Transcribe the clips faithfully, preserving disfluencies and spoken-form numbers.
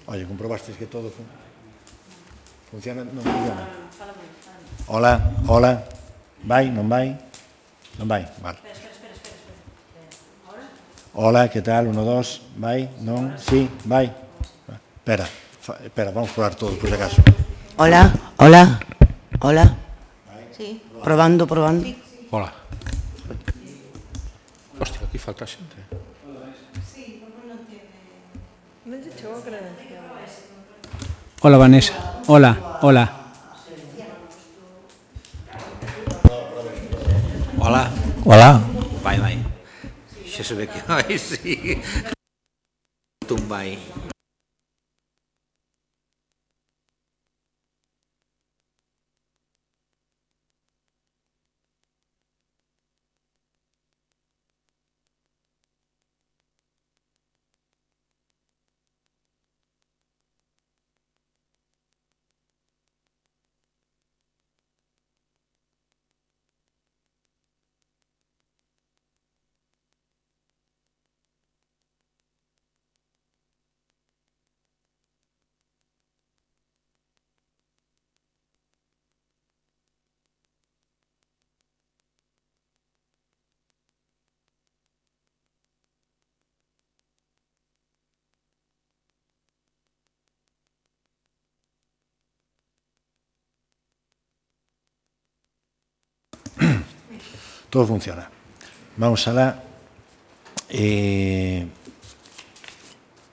Oye, comprobasteis que todo funciona? Non funciona? Hola, hola. Vai, non vai? Non vai, vale. Hola, que tal? Uno, dos, vai, non, sí, vai. Espera, espera, vamos probar todo, por si acaso. Hola, hola, hola. Sí, probando, probando. Hola. Hostia, aquí falta xente. Hola, Vanessa. Hola, hola. Hola. Hola. Vai, vai. Xa se ve que vai, sí. Tum vai. Todo funciona. Vamos alá. Eh,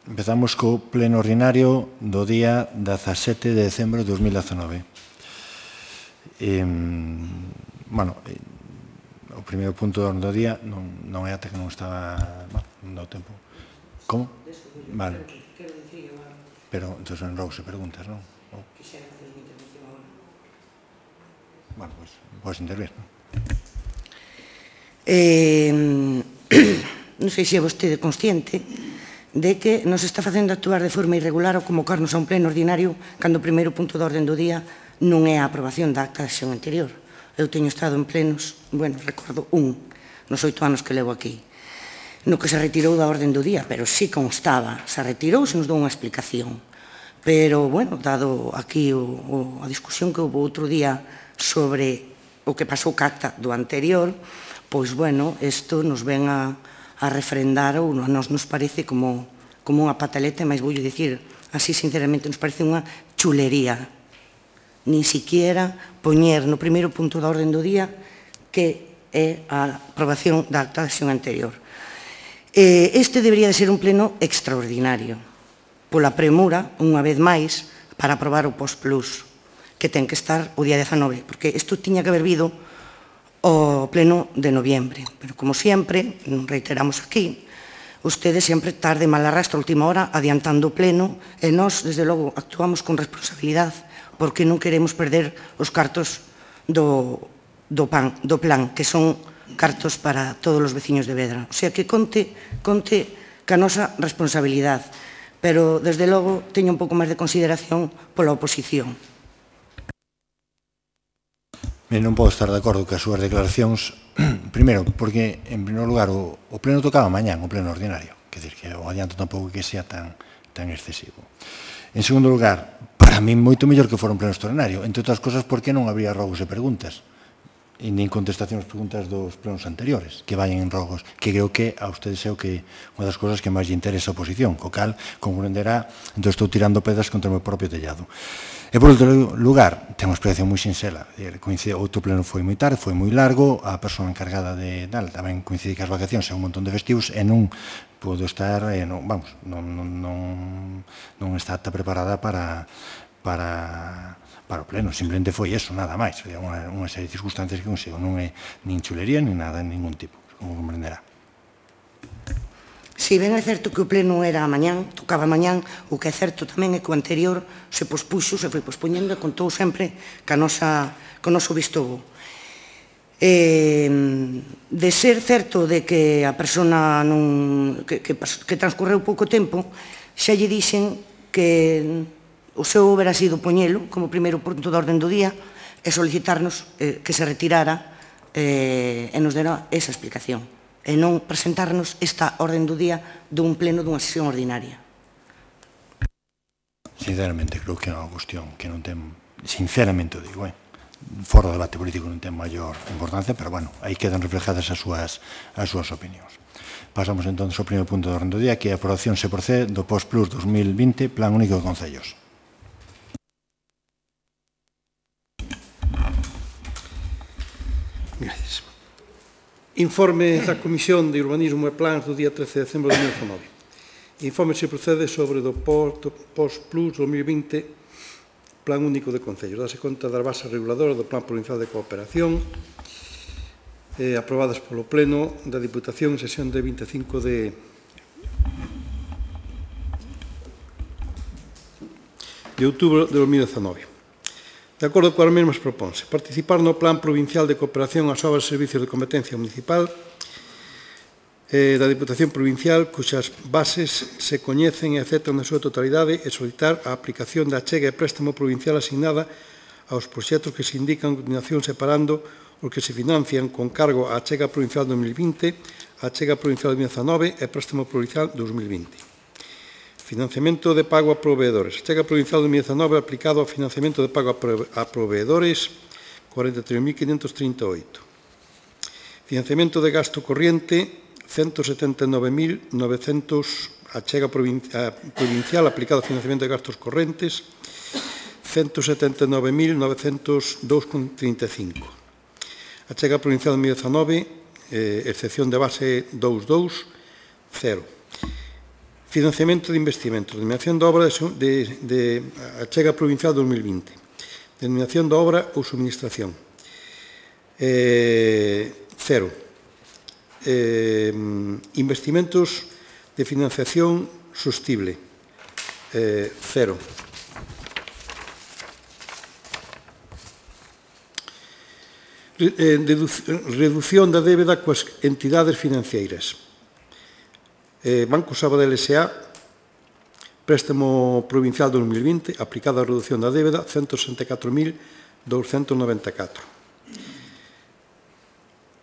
empezamos co pleno ordinario do día dezasete de decembro de dos mil dezanove. Eh, bueno, eh, o primeiro punto do día non, non é ata que non estaba... Bueno, non dá o tempo. Como? Vale. Pero, entón, en rogo se preguntas, non? Bueno, pois, podes intervir, non? Eh, non sei se é vostede consciente de que nos está facendo actuar de forma irregular ao convocarnos a un pleno ordinario cando o primeiro punto da orden do día non é a aprobación da acta da sesión anterior. Eu teño estado en plenos, bueno, recordo un, nos oito anos que levo aquí, no que se retirou da orden do día, pero sí constaba, se retirou, se nos dou unha explicación. Pero, bueno, dado aquí o, o, a discusión que houve outro día sobre o que pasou ca acta do anterior, pois, bueno, isto nos ven a, a refrendar ou a nos nos parece como, como unha pataleta, máis voulle dicir, así sinceramente, nos parece unha chulería. Nin siquiera poñer no primeiro punto da orden do día que é a aprobación da acta da sesión anterior. Este debería de ser un pleno extraordinario, pola premura, unha vez máis, para aprobar o post-plus, que ten que estar o día dezanove, porque isto tiña que haber vido o pleno de noviembre. Pero, como sempre, reiteramos aquí, ustedes sempre tarde mal arrastra a última hora adiantando o pleno e nós, desde logo, actuamos con responsabilidade porque non queremos perder os cartos do, do, pan, do plan, que son cartos para todos os veciños de Vedra. O sea, que conte, conte ca nosa responsabilidade, pero, desde logo, teño un pouco máis de consideración pola oposición. Ben, non podo estar de acordo que as súas declaracións, primeiro, porque, en primeiro lugar, o, o pleno tocaba mañán, o pleno ordinario, quer dizer, que o adianto tampouco que sea tan, tan excesivo. En segundo lugar, para mí moito mellor que fora un pleno extraordinario, entre outras cosas porque non habría rogos e preguntas, e nin contestación ás preguntas dos plenos anteriores, que vayan en rogos, que creo que a ustedes é o que unha das cousas que máis lle interesa a oposición, co cal comprenderá, entón estou tirando pedras contra o meu propio tellado. E, por outro lugar, ten unha explicación moi sinxela. Coincide, outro pleno foi moi tarde, foi moi largo, a persoa encargada de tal, tamén coincide que as vacacións e un montón de festivos, e non podo estar, e non, vamos, non, non, non, non está apta preparada para, para, para o pleno. Simplemente foi eso, nada máis. Unha, unha serie de circunstancias que consigo. Non é nin chulería, nin nada, en ningún tipo, como comprenderá. Si ben é certo que o pleno era a mañán, tocaba a mañán, o que é certo tamén é que o anterior se pospuxo, se foi pospoñendo e contou sempre ca nosa, co noso visto bo. Eh, de ser certo de que a persona non, que, que, que transcorreu pouco tempo, xa lle dixen que o seu haberá sido poñelo como primeiro punto de orden do día e solicitarnos eh, que se retirara eh, e nos dera esa explicación, e non presentarnos esta orden do día dun pleno dunha sesión ordinaria. sinceramente, creo que é unha cuestión que non ten, sinceramente o digo, eh, fora do debate político non ten maior importancia, pero, bueno, aí quedan reflejadas as súas, as súas opinións. Pasamos, entón, ao primeiro punto do orden do día, que é a aprobación se procede do POSPLUS dos mil vinte, Plan Único de Concellos. Gracias. Informe da Comisión de Urbanismo e Plans do día trece de decembro de dos mil dezanove. Informe se procede sobre do POSPLUS dos mil vinte, Plan Único de Concellos. Dase conta das bases reguladoras do Plan Provincial de Cooperación, eh, aprobadas polo Pleno da Diputación en sesión de vinte e cinco de de outubro de dos mil dezanove. De acordo coas mesmas propónse participar no Plan Provincial de Cooperación ás obras e servicios de competencia municipal eh, da Diputación Provincial, cuxas bases se coñecen e aceptan na súa totalidade, e solicitar a aplicación da achega e préstamo provincial asignada aos proxectos que se indican a continuación, separando os que se financian con cargo á achega provincial dos mil vinte, a achega provincial dos mil dezanove e préstamo provincial dos mil vinte. Financiamento de pago a proveedores. Achega provincial dos mil dezanove aplicado ao financiamento de pago a proveedores, cuarenta e tres mil quinhentos trinta e oito. Financiamento de gasto corriente, ciento setenta e nove mil novecentos. Achega provincial aplicado ao financiamento de gastos correntes, ciento setenta e nove mil novecentos dous con trinta e cinco. Achega provincial dos mil dezanove, eh, excepción de base dous dous, cero. Financiamento de investimentos. Denominación de obra de, de achega provincial dos mil vinte. Denominación de obra ou suministración. Eh, cero. Eh, investimentos de financiación sostible. Eh, cero. Eh, reducción da débeda coas entidades financeiras. Eh, Banco Sabadell S A, préstamo provincial dos mil vinte, aplicado a reducción da débeda, ciento sesenta e catro mil douscentos noventa e catro.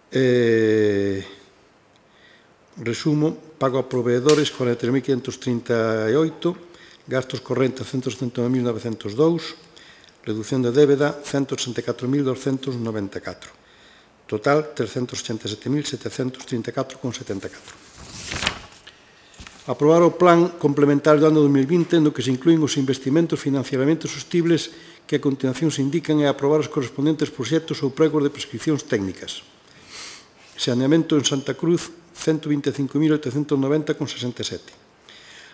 Eh, resumo, pago a proveedores, cuarenta e tres mil quinhentos trinta e oito, gastos correntes, ciento setenta e nove mil novecentos dous, reducción de débeda, ciento sesenta e catro mil douscentos noventa e catro. Total, trescentos ochenta e sete mil setecentos trinta e catro con setenta e catro. Aprobar o Plan Complementario do ano dos mil vinte, no que se inclúen os investimentos financiamentos sostibles que a continuación se indican, e aprobar os correspondentes proxectos ou pregos de prescripcións técnicas. Saneamento en Santa Cruz, ciento vinte e cinco mil oitocentos noventa con sesenta e sete.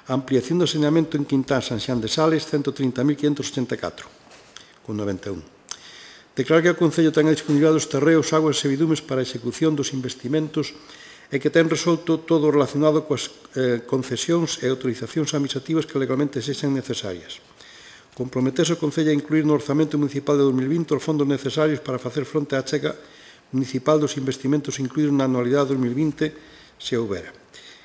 Ampliación do saneamento en Quintán San Xán de Sales, ciento trinta mil quinhentos ochenta e catro con noventa e un. Declarar que o Concello ten a disponibilidade dos terreos, aguas e vidumes para a execución dos investimentos e que ten resolto todo relacionado coas eh, concesións e autorizacións administrativas que legalmente sexan necesarias. Comprometese o Concello a incluir no orzamento municipal de dos mil vinte os fondos necesarios para facer fronte á achega municipal dos investimentos incluídos na anualidade dos mil vinte, se houbera.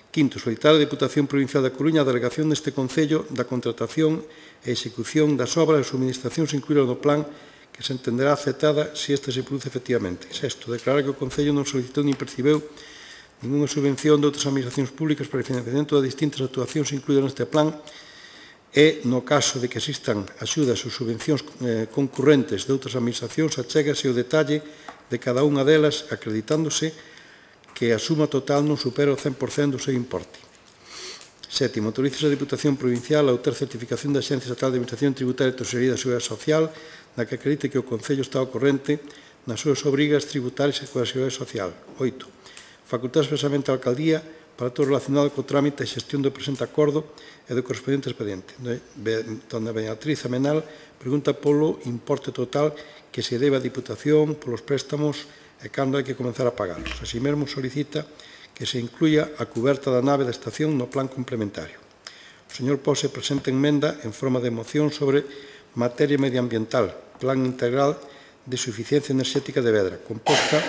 Quinto, solicitar a Deputación Provincial da Coruña a delegación deste Concello da contratación e execución das obras e subministracións incluídas no plan, que se entenderá aceptada se esta se produce efectivamente. Sexto, declarar que o Concello non solicitou nin percibeu ninguna subvención de outras administracións públicas para o financiamento de distintas actuacións incluídas neste plan, e, no caso de que existan axudas ou subvencións eh, concurrentes de outras administracións, achégase o detalle de cada unha delas, acreditándose que a suma total non supera o cen por cento do seu importe. Sétimo, autoriza a Diputación Provincial a outra certificación da Axencia Estatal de Administración Tributaria e Tesorería da Seguridade Social, na que acredite que o Concello está ao corrente nas súas obrigas tributarias e coa Seguridade Social. Oito, facultar expresamente a Alcaldía para todo relacionado co trámite e xestión do presente acordo e do correspondente expediente. Dona Beatriz Amenal pregunta polo importe total que se debe á Diputación polos préstamos e cando hai que comenzar a pagarlos. Así mesmo solicita que se incluya a cuberta da nave da estación no plan complementario. O señor Pose presenta enmenda en forma de moción sobre materia medioambiental, plan integral de suficiencia enerxética de Vedra, composta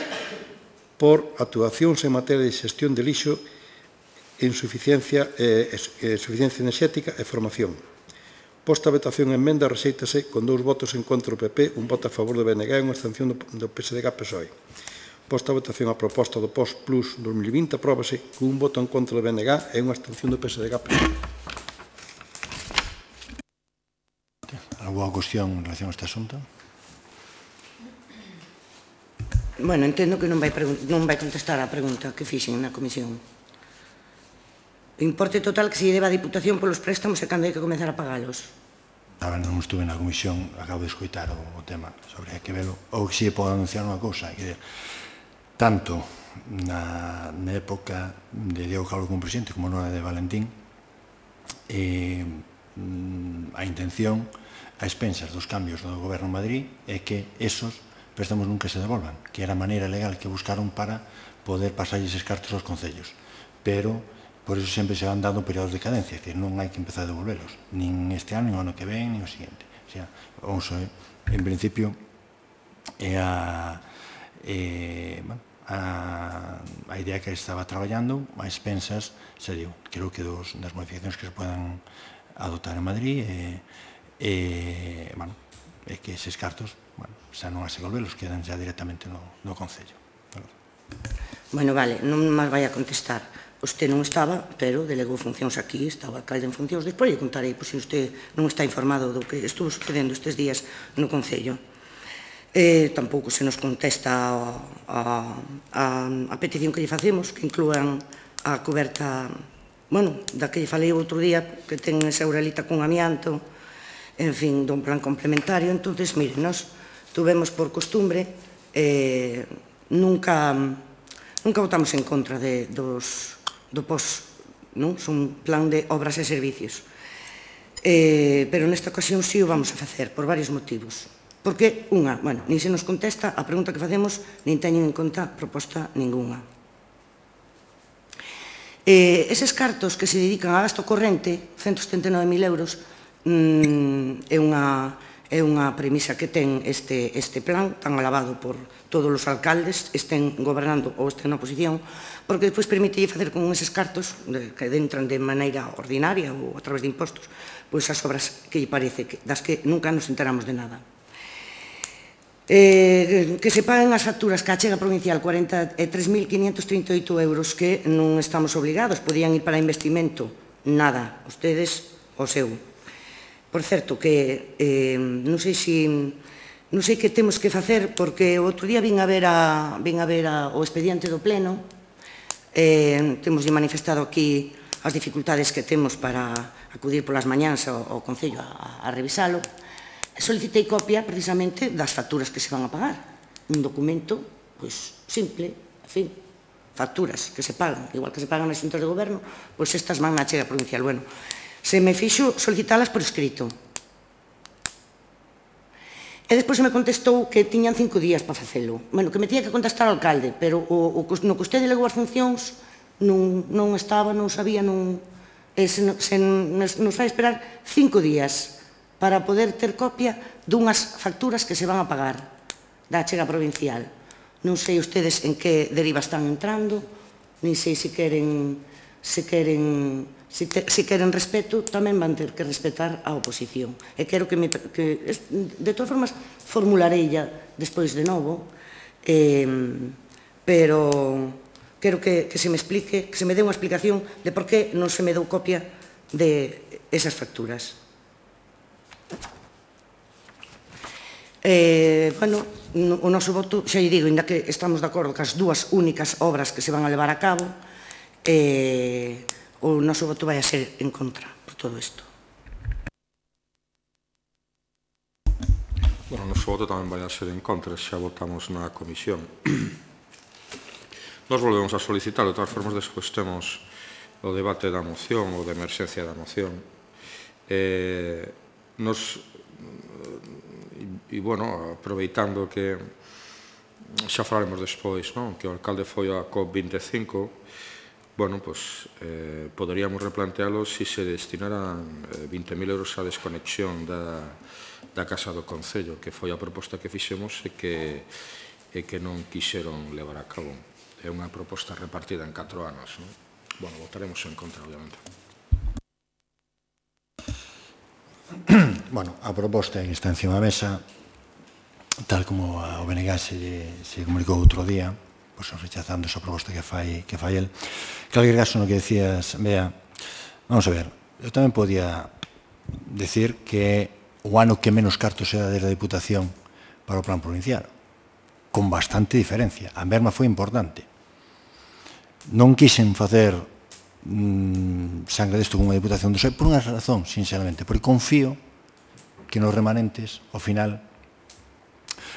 por actuacións en materia de xestión de lixo, insuficiencia, eh, eh, suficiencia enerxética e formación. Posta a votación a enmenda, rexeítase con dous votos en contra do P P, un voto a favor do B N G e unha abstención do, do P S D G P S O E. Posta a votación a proposta do POSPLUS dos mil vinte, apróbase con un voto en contra do B N G e unha abstención do P S D G P S O E. Posta a votación a proposta do POSPLUS dos mil vinte, apróbase con un voto en contra do B N G e unha abstención do P S D G P S O E. Posta a votación a proposta do POSPLUS dos mil vinte, apróbase con un voto en contra do B N G e unha abstención do P S D G P S O E. Posta a votación a proposta do POSPLUS dos mil vinte, apróbase con un voto en contra do B N G e unha abstención do P S D G P S O E. Alguna cuestión en relación a este asunto? Bueno, entendo que non vai, non vai contestar a pregunta que fixen na comisión. O importe total que se debe a Diputación polos préstamos e cando hai que comenzar a pagalos. Ahora non estuve na comisión, acabo de escoitar o, o tema sobre que velo. Ou que si podo anunciar unha cousa, que tanto na, na época de Diego Calvo como presidente como na de Valentín, eh, a intención a expensas dos cambios do goberno en Madrid é que esos préstamos nunca se devolvan, que era a maneira legal que buscaron para poder pasar eses cartos aos concellos. Pero, por eso sempre se van dando períodos de cadencia, é dicir, non hai que empezar a devolvelos, nin este ano, nin o ano que ven, nin o seguinte. O sea, vamos a ver, en principio, é a, é, bueno, a, a idea que estaba traballando, a expensas, se diu, creo que dos, das modificacións que se podan adoptar en Madrid, e, e, bueno, é que eses cartos, bueno, xa non as devolvelos, quedan xa directamente no, no Concello. Bueno, vale, non máis vai a contestar. Usted non estaba, pero delegou funcións aquí, estaba alcalde en funcións. Despois lle contarei, pois, se usted non está informado do que estuvo sucedendo estes días no Concello. Eh, tampouco se nos contesta a, a, a, a petición que lle facemos, que inclúan a coberta, bueno, da que lle falei outro día, que ten esa uralita con amianto, en fin, dun plan complementario. Entonces, mire, nós tuvemos por costumbre, eh, nunca, nunca votamos en contra de, dos, do P O S, non? Son plan de obras e servicios. Eh, pero nesta ocasión sí o vamos a facer, por varios motivos. Porque, unha, bueno, nin se nos contesta a pregunta que facemos, nin teñen en conta proposta ninguna. Eh, eses cartos que se dedican a gasto corrente, ciento setenta e nove mil euros, mm, é unha... é unha premisa que ten este, este plan tan alabado por todos os alcaldes, estén gobernando ou estén na oposición, porque despois permite facer con eses cartos de, que entran de maneira ordinaria ou a través de impostos, pois as obras que lle parece, que, das que nunca nos enteramos de nada. Eh, que se paguen as facturas que achega provincial cuarenta e tres mil quinientos trinta e oito euros que non estamos obligados, podían ir para investimento, nada, ustedes o seu. Por certo, que eh, non sei se non sei que temos que facer, porque o outro día vin a ver, a, vin a ver a, o expediente do Pleno, eh, temos manifestado aquí as dificultades que temos para acudir polas mañáns ao, ao Concello a, a revisalo, e solicitei copia precisamente das facturas que se van a pagar. Un documento, pois, simple, en fin, facturas que se pagan, igual que se pagan nas xuntas de goberno, pois estas van na achega provincial. Bueno, se me fixo solicitalas por escrito. E despois me contestou que tiñan cinco días para facelo. Bueno, que me tiña que contestar ao alcalde, pero o, o, no que usted delegou as funcións non, non estaba, non sabía, non, e se, se nos fai esperar cinco días para poder ter copia dunhas facturas que se van a pagar da achega provincial. Non sei ustedes en que deriva están entrando, nin sei se queren, se queren... Se, te, se queren respeto, tamén van ter que respetar a oposición. E quero que, me, que de todas formas, formularei ya despois de novo, eh, pero quero que, que se me explique, que se me dé unha explicación de por que non se me dou copia de esas facturas. Eh, bueno, o noso voto, xa lle digo, ainda que estamos de acordo que as dúas únicas obras que se van a levar a cabo, eh, o noso voto vai a ser en contra por todo isto. Bueno, o noso voto tamén vai a ser en contra, xa votamos na comisión. Nos volvemos a solicitar, de todas formas, despois temos o debate da moción ou de emerxencia da moción. Eh, nos, e, bueno, aproveitando que xa falaremos despois, non? Que o alcalde foi a COP vinte e cinco, bueno, pois, eh, poderíamos replantealo se se destinaran eh, vinte mil euros a desconexión da, da Casa do Concello, que foi a proposta que fixemos e que, e que non quixeron levar a cabo. É unha proposta repartida en catro anos, non? Bueno, votaremos en contra, obviamente. Bueno, a proposta que está encima da mesa, tal como o B N G se, se comunicou outro día, pues, rechazando esa proposta que fai, que fai el. En calquer caso, no que decías, Bea, vamos a ver, eu tamén podía decir que o ano que menos cartos se dá desde a Diputación para o plan provincial, con bastante diferencia. A merma foi importante. Non quixen facer mmm, sangre desto con unha Diputación do P S O E por unha razón, sinceramente, porque confío que nos remanentes, ao final,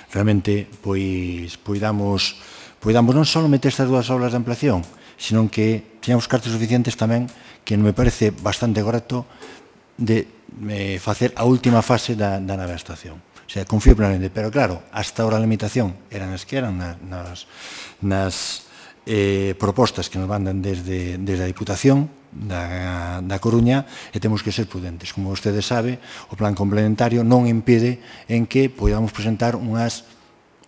realmente, pois, poidamos, poidamos non só meter estas dúas obras de ampliación, sino que teñamos cartos suficientes tamén, que me parece bastante correcto, de eh, facer a última fase da, da nova estación. O sea, confío plenamente, pero claro, hasta ahora a limitación eran as que eran nas, nas, nas eh, propostas que nos mandan desde, desde a Diputación da, da Coruña, e temos que ser prudentes. Como vostede sabe, o plan complementario non impide en que podamos presentar unhas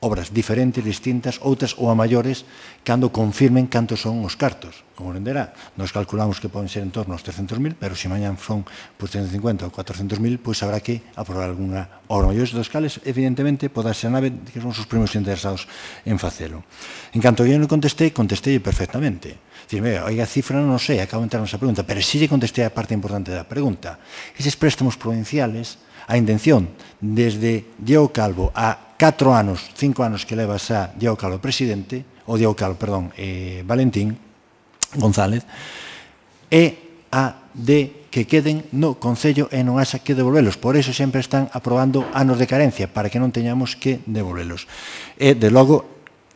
obras diferentes, distintas, outras ou a maiores, cando confirmen cantos son os cartos. Como entenderá, nos calculamos que poden ser en torno aos trescentos mil, pero se mañan son pues, trescentos cincuenta ou cuatrocientos mil, pois habrá que aprobar alguna obra maiores dos cales, evidentemente, poda ser a nave que son os primeiros interesados en facelo. En canto eu non contestei, contestei perfectamente. Dicir, mira, oiga, a cifra non sei, acabo de entrar nesa pregunta, pero si lle contestei a parte importante da pregunta. Eses préstamos provinciales, a intención, desde Diego Calvo a catro anos, cinco anos que leva xa Diego Calvo presidente, ou Diego Calvo, perdón, eh, Valentín González, é a de que queden no Concello e non haxa que devolvelos. Por eso sempre están aprobando anos de carencia, para que non teñamos que devolvelos. E, de logo,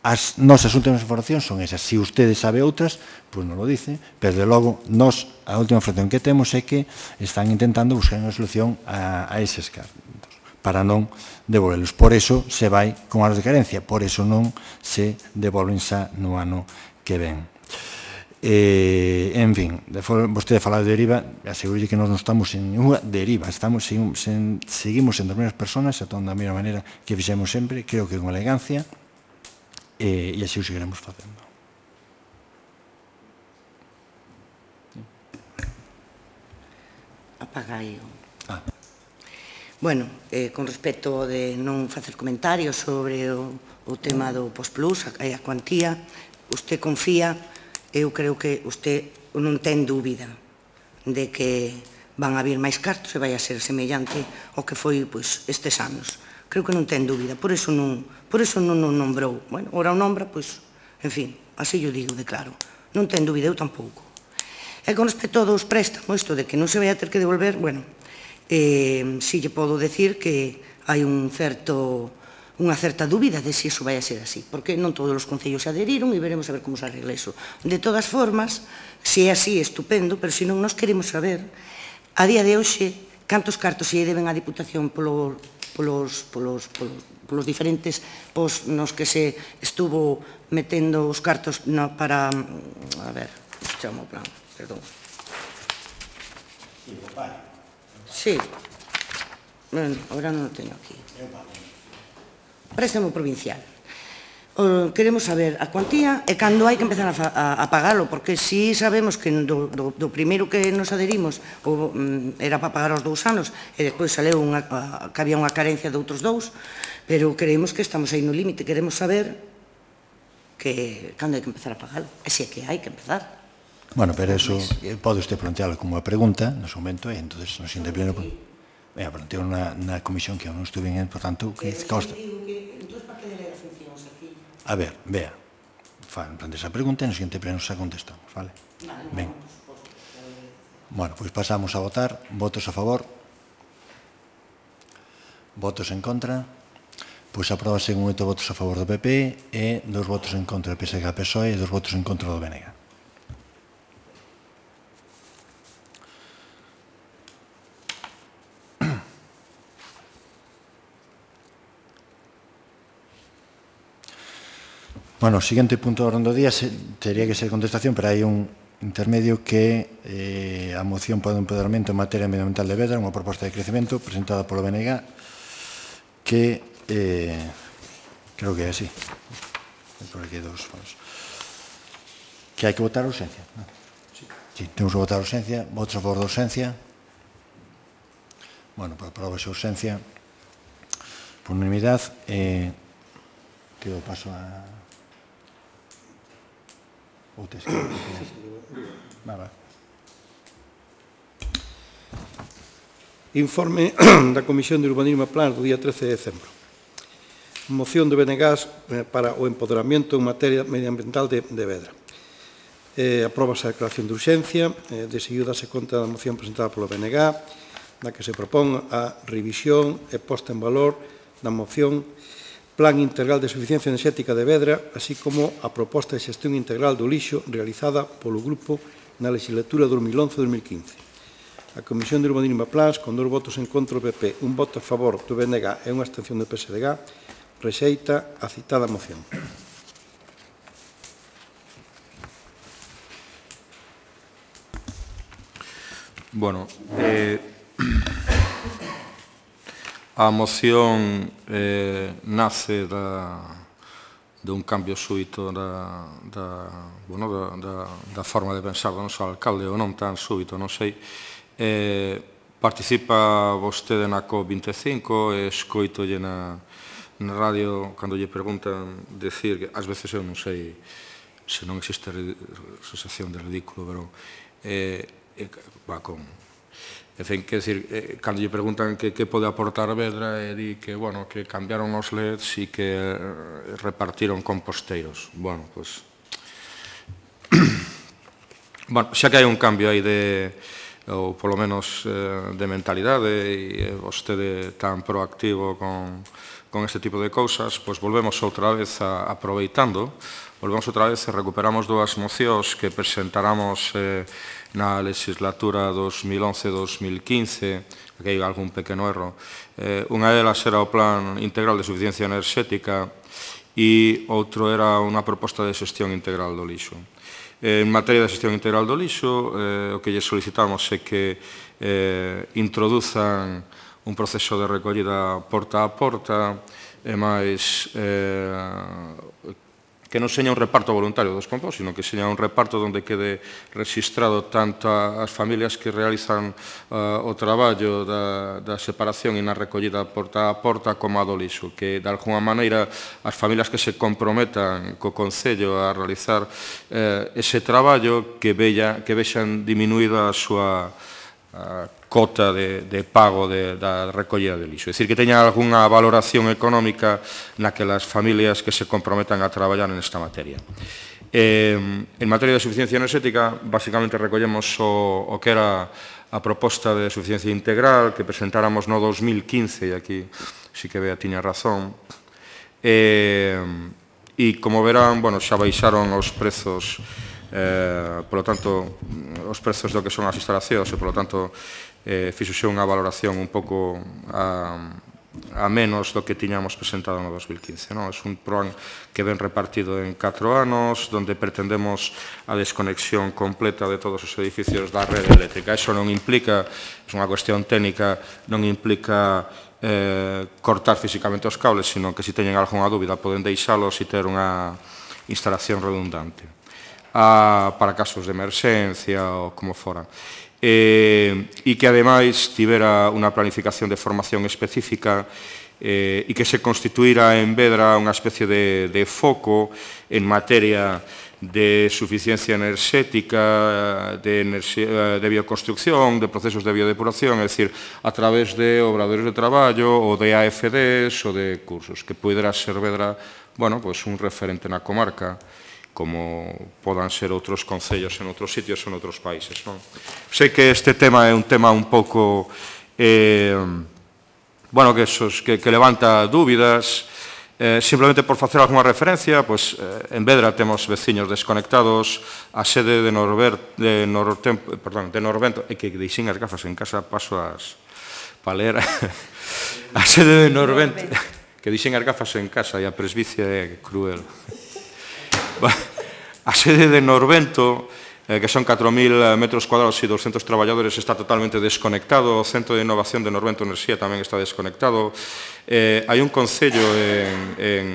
as nosas últimas informacións son esas. Se ustedes sabe outras, pois non lo dice, pero, de logo, nos, a última información que temos é que están intentando buscar unha solución a, a eses cartos, para non devolvelos. Por eso se vai con anos de carencia, por eso non se devolven xa no ano que ven. Eh, en fin, vostede fala de deriva, aseguro que nós non estamos en ninguna deriva, estamos, seguimos, en, seguimos en as mesmas personas, a toda a mesma maneira que fixemos sempre, creo que con elegancia, eh, e así o seguiremos facendo. Apagai o... Ah. Bueno, eh, con respecto de non facer comentarios sobre o, o tema do Postplus, a, a cuantía, usted confía, eu creo que usted non ten dúbida de que van a vir máis cartos e vai a ser semellante ao que foi pois, estes anos. Creo que non ten dúbida, por eso non, por eso non o nombrou. Bueno, ora o nombra, pois, en fin, así yo digo de claro. Non ten dúbida, eu tampouco. E con respecto aos préstamos, isto de que non se vai a ter que devolver, bueno, eh, si lle podo decir que hai un certo, unha certa dúbida de se iso vai a ser así, porque non todos os concellos se adheriron e veremos a ver como se arregla iso. De todas formas, se é así, estupendo, pero se non nos queremos saber, a día de hoxe, cantos cartos se deben á Diputación polo, polos, polos, polos, polos diferentes pos nos que se estuvo metendo os cartos no, para, a ver, chamo o plan, perdón. Sí, bueno, ahora non o teño aquí. Préstamo provincial. O, queremos saber a cuantía e cando hai que empezar a, a, a pagalo, porque si sabemos que do, do, do primeiro que nos adherimos o, mm, era para pagar os dous anos e despois saleu unha, a, que había unha carencia de outros dous, pero creemos que estamos aí no límite, queremos saber que cando hai que empezar a pagalo, e se é que hai que empezar. Bueno, pero eso pode usted plantearlo como unha pregunta no seu momento e entón nos interpleno. Venga, planteo na, na comisión que eu non estuve en, por tanto, que costa. A ver, vea, plantea esa pregunta e no seguinte pleno xa contestamos, vale? Ben. Bueno, pois pasamos a votar. Votos a favor. Votos en contra. Pois apróbase con oito votos a favor do P P e dos votos en contra do P S G P S O E e dos votos en contra do B N G. Bueno, o seguinte punto do orden do día teria que ser contestación, pero hai un intermedio que eh, a moción para o empoderamento en materia medioambiental de Vedra, unha proposta de crecemento presentada polo B N G, que eh, creo que é así. Por aquí dos foros. Que hai que votar a urxencia. ¿No? Sí. Sí, temos que votar a urxencia. Votos a favor da urxencia. Bueno, para aprobar a urxencia por unanimidade. Eh, que eu paso a... Ou te escribo. Va, va. Informe da Comisión de Urbanismo e Plans do día trece de decembro. Moción de Benegas para o empoderamento en materia medioambiental de, de Vedra. Eh, Apróbase a declaración de urxencia, eh, de seguido dase conta da moción presentada polo B N G, na que se propón a revisión e posta en valor da moción Plan Integral de Suficiencia Enerxética de Vedra, así como a proposta de xestión integral do lixo realizada polo grupo na legislatura dos mil once a dos mil quince. A Comisión de Urbanismo e Plans, con dos votos en contra do P P, un voto a favor do B N G e unha abstención do P S D G, rexeita a citada moción. Bueno, eh, a moción eh, nace da, de un cambio súbito da, da, bueno, da, da, da forma de pensar do noso alcalde, ou non tan súbito, non sei. Eh, participa vostede na COP vinte e cinco e escoitolle na, na radio cando lle preguntan decir que ás veces eu non sei se non existe sensación de ridículo, pero eh, eh, va con... En fin, que decir, eh, cando lle preguntan que, que pode aportar Vedra, e di que, bueno, que cambiaron os L E Ds e que eh, repartiron composteiros. Bueno, pois... bueno, xa que hai un cambio aí de, ou polo menos eh, de mentalidade, e vostede tan proactivo con, con este tipo de cousas, pois volvemos outra vez a, aproveitando, volvemos outra vez e recuperamos dúas mocións que presentáramos eh, na legislatura dos mil once a dos mil quince, aquí hai algún pequeno erro. Eh, unha delas era o Plan Integral de Suficiencia Enerxética e outro era unha proposta de xestión integral do lixo. Eh, en materia de xestión integral do lixo, eh, o que lle solicitamos é que eh, introduzan un proceso de recollida porta a porta e máis eh, que non seña un reparto voluntario dos compost, sino que seña un reparto onde quede registrado tanto as familias que realizan uh, o traballo da, da separación e na recollida porta a porta como a do lixo, que de alguna maneira as familias que se comprometan co Concello a realizar eh, ese traballo que, vella, que vexan diminuída a súa a cota de, de pago de, da recollida de lixo. É dicir, que teña algunha valoración económica naquelas familias que se comprometan a traballar nesta materia. Eh, en materia de suficiencia enerxética, basicamente recollemos o, o que era a proposta de suficiencia integral que presentáramos no dos mil quince, e aquí sí que Bea tiña razón. Eh, e, como verán, bueno, xa baixaron os prezos. Eh, polo tanto, os prezos do que son as instalacións e, polo tanto, eh, fixose unha valoración un pouco a, a menos do que tiñamos presentado no dos mil quince. No? É un plan que ven repartido en catro anos, donde pretendemos a desconexión completa de todos os edificios da rede eléctrica. Eso non implica, é unha cuestión técnica, non implica eh, cortar físicamente os cables, sino que se teñen algunha dúbida poden deixalos e ter unha instalación redundante. A, para casos de emerxencia ou como fora. E, e que, ademais, tivera unha planificación de formación específica eh, e que se constituíra en Vedra unha especie de, de foco en materia de suficiencia enerxética, de, enerxía, de bioconstrucción, de procesos de biodepuración, é dicir, a través de obradores de traballo ou de A F Ds ou de cursos, que pudera ser Vedra, bueno, pues un referente na comarca, como podan ser outros concellos en outros sitios ou en outros países. Non? Sei que este tema é un tema un pouco eh, bueno, que, esos, que, que levanta dúbidas. Eh, simplemente por facer alguna referencia, pues, eh, en Vedra temos veciños desconectados, a sede de, Norbert, de, Nortem, perdón, de Norvento, e que deixen as gafas en casa, paso as para ler, a sede de Norvento, que deixen as gafas en casa e a presbicia é cruel. A sede de Norvento, eh, que son catro mil metros cuadrados e doscientos traballadores, está totalmente desconectado. O Centro de Innovación de Norvento Enerxía tamén está desconectado. Eh, hai un concello en, en,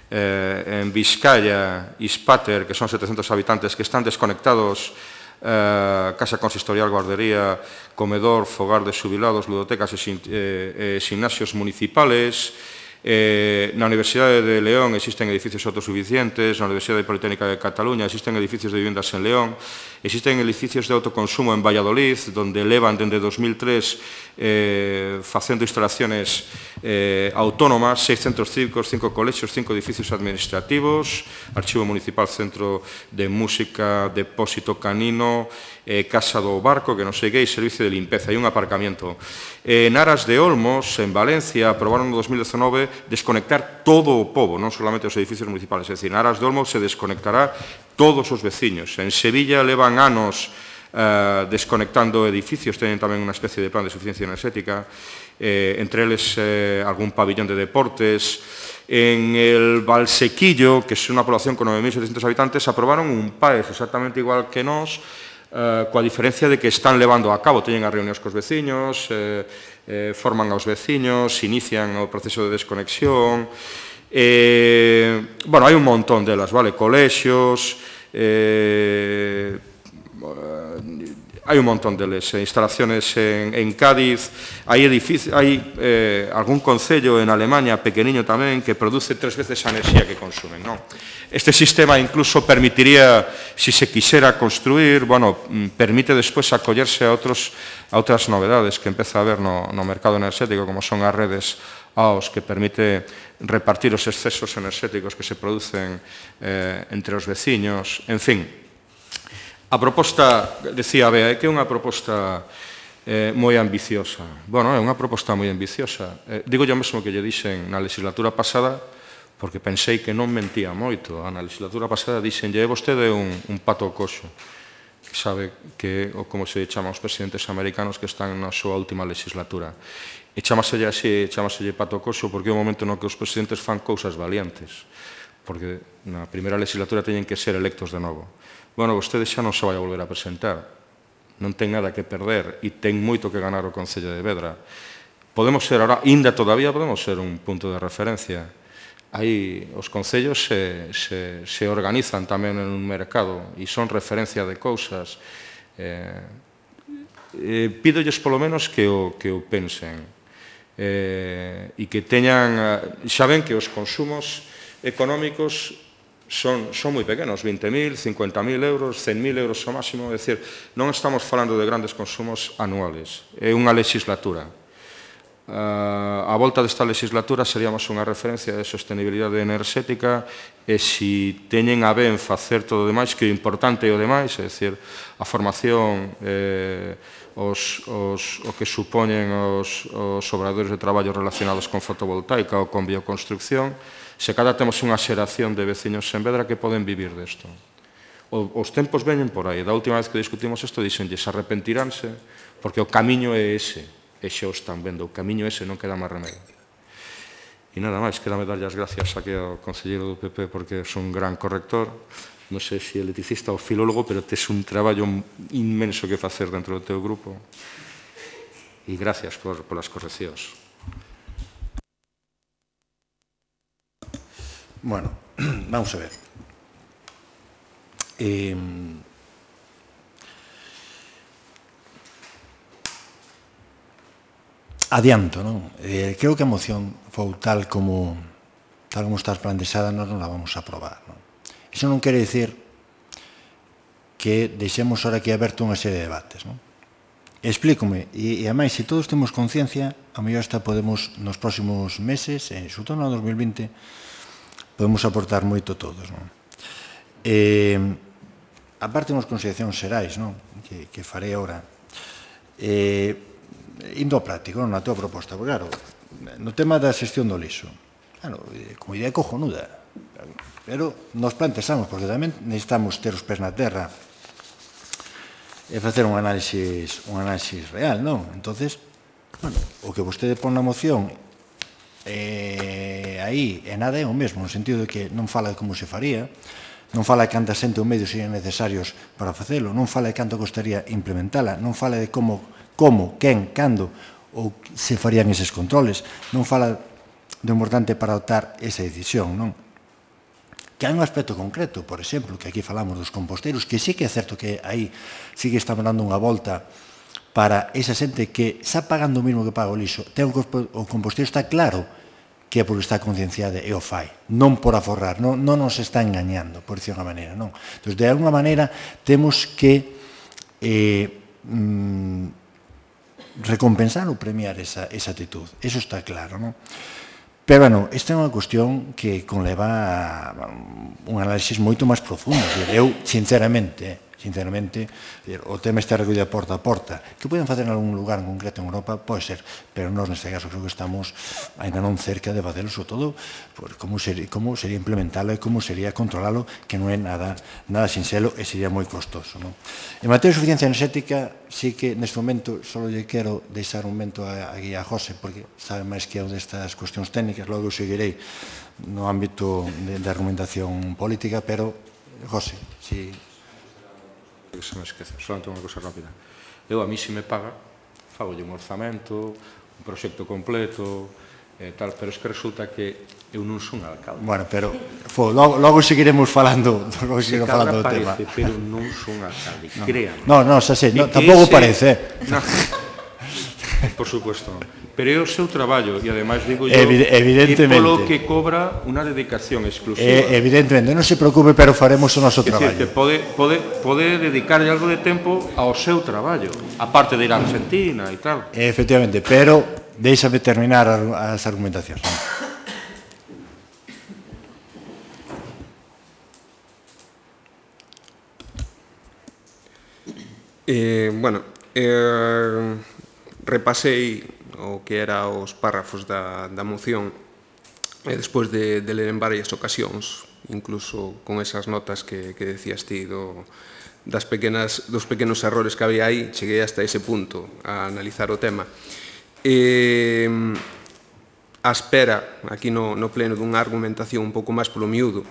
eh, en Vizcaya, Ispater, que son setecientos habitantes, que están desconectados. Eh, casa consistorial, guardería, comedor, fogar de xubilados, ludotecas e, sin, eh, eh, gimnasios municipales. Eh, na Universidade de León existen edificios autosuficientes, na Universidade Politécnica de Cataluña existen edificios de viviendas en León, existen edificios de autoconsumo en Valladolid, donde levan dende dos mil tres eh, facendo instalaciones eh, autónomas, seis centros cívicos, cinco colexios, cinco edificios administrativos, Archivo Municipal, Centro de Música, Depósito Canino, eh, Casa do Barco, que non sei que, e Servicio de Limpeza, e un aparcamiento. Eh, en Aras de Olmos, en Valencia, aprobaron no dos mil dezanove desconectar todo o pobo, non solamente os edificios municipales, é dicir, en Aras de Olmos se desconectará todos os veciños. En Sevilla levan anos eh, desconectando edificios, teñen tamén unha especie de plan de suficiencia enerxética, eh, entre eles eh, algún pabillón de deportes. En el Valsequillo, que é unha población con nove mil setecientos habitantes, aprobaron un PAES exactamente igual que nós, eh, coa diferencia de que están levando a cabo, teñen as reunións cos veciños, eh, eh, forman aos veciños, inician o proceso de desconexión. Eh, bueno, hai un montón delas, vale? Colexios, eh, hai un montón deles, eh, instalaciones en, en Cádiz, hai, hai eh, algún concello en Alemania, pequeniño tamén, que produce tres veces a enerxía que consumen, non? Este sistema incluso permitiría, si se quixera construir, bueno, permite despois acollerse a, outros, a outras novedades que empeza a haber no, no mercado enerxético, como son as redes A O S, que permite repartir os excesos enerxéticos que se producen eh, entre os veciños, en fin. A proposta, decía Bea, é que é unha proposta eh, moi ambiciosa. Bueno, é unha proposta moi ambiciosa. Eh, digo yo mesmo que lle dixen na legislatura pasada, porque pensei que non mentía moito. Na legislatura pasada dixenlle, é vostede un, un pato coxo, que sabe que, ou como se chama aos presidentes americanos que están na súa última legislatura. E chamaselle así, chamaselle pato coxo, porque é o momento no que os presidentes fan cousas valientes, porque na primeira legislatura teñen que ser electos de novo. Bueno, vostede xa non se vai a volver a presentar, non ten nada que perder e ten moito que ganar o Concello de Vedra. Podemos ser, ahora, ainda todavía podemos ser un punto de referencia. Aí os concellos se, se, se organizan tamén en un mercado e son referencia de cousas. Eh, eh, pídolles polo menos que o, que o pensen eh, e que teñan, xa ven que os consumos económicos son, son moi pequenos, vinte mil, cincuenta mil euros, cen mil euros ao máximo, é dicir, non estamos falando de grandes consumos anuales, é unha legislatura. Uh, a volta desta legislatura seríamos unha referencia de sostenibilidade enerxética e se teñen a ben facer todo o demais, que o importante é o demais, é dicir, a formación, eh, os, os, o que supoñen os, os obradores de traballo relacionados con fotovoltaica ou con bioconstrucción, se cada temos unha xeración de veciños en Vedra que poden vivir desto. O, os tempos veñen por aí. Da última vez que discutimos isto, dixenlles, arrepentiránse, porque o camiño é ese. E xa o están vendo. O camiño ese non queda máis remedio. E nada máis, quedame darlle as gracias aquí ao concelleiro do P P porque é un gran corrector. Non sei se é electricista ou filólogo, pero tes un traballo inmenso que facer dentro do teu grupo. E gracias por, por as correccións. Bueno, vamos a ver. Eh, adianto, non? Eh, creo que a moción foi tal como tal como está planteada, nós non la vamos a aprobar, non? Iso non quere dicir que deixemos ahora aquí aberto unha serie de debates, non? Explícome, e, e ademais, se todos temos conciencia, a mellor hasta podemos, nos próximos meses, eh, sobre todo no dos mil vinte, podemos aportar moito todos, non? Eh, aparte unhas consideracións xerais, non? Que, que farei agora. Eh, indo ao práctico, non? Na tua proposta, porque claro, no tema da xestión do lixo, claro, como idea cojonuda, pero nos plantexamos, porque tamén necesitamos ter os pés na terra e facer un análisis, un análisis real, non? Entonces, bueno, o que vostede pon na moción eh, aí é nada é o mesmo, no sentido de que non fala de como se faría, non fala de canta xente ou medios serían necesarios para facelo, non fala de canto costaría implementala, non fala de como, como, quen, cando ou se farían eses controles, non fala do importante para adoptar esa decisión, non? Que hai un aspecto concreto, por exemplo, que aquí falamos dos composteiros, que sí que é certo que aí sí que estamos dando unha volta para esa xente que está pagando o mismo que paga o lixo. Ten o composteiro está claro que é porque está concienciada e o fai, non por aforrar, non, non nos está engañando, por dicir unha maneira, non. Entón, de alguna maneira, temos que eh, mm, recompensar ou premiar esa, esa actitud, eso está claro, non? Pero, bueno, esta é unha cuestión que conleva un análisis moito máis profundo. Eu, sinceramente, sinceramente, o tema está recollido porta a porta. Que poden facer en algún lugar en concreto en Europa, pode ser, pero nós neste caso creo que estamos ainda non cerca de facelo, sobre todo, como sería, como sería implementalo e como sería controlalo, que non é nada, nada sinxelo e sería moi costoso. Non? En materia de suficiencia enerxética, sí que neste momento só lle quero deixar un momento a, a guía a José, porque sabe máis que eu destas cuestións técnicas, logo eu seguirei no ámbito de, de argumentación política, pero, José, si... que se me esquece, solamente unha cosa rápida. Eu, a mí, se me paga, fagolle un orzamento, un proxecto completo, e tal, pero es que resulta que eu non son alcalde. Bueno, pero fo, logo, logo seguiremos falando, logo seguiremos falando do tema. Parece, pero non son alcalde, no. créame. No, no, xa sei, no, tampouco ese... parece. No. Por supuesto, non. Pero é o seu traballo, e ademais digo yo, Evid evidentemente, é polo que cobra unha dedicación exclusiva. Eh, evidentemente, non se preocupe, pero faremos o noso traballo. É dicir, que pode, pode, pode dedicarlle algo de tempo ao seu traballo, aparte de ir a Argentina e tal. Efectivamente, pero deixame terminar as argumentacións. Eh, bueno, eh, repasei o que era os párrafos da, da moción e despois de, de ler en varias ocasións, incluso con esas notas que, que decías ti do, das pequenas, dos pequenos errores que había aí, cheguei hasta ese punto a analizar o tema. Eh, a espera, aquí no, no pleno, dunha argumentación un pouco máis polo miúdo,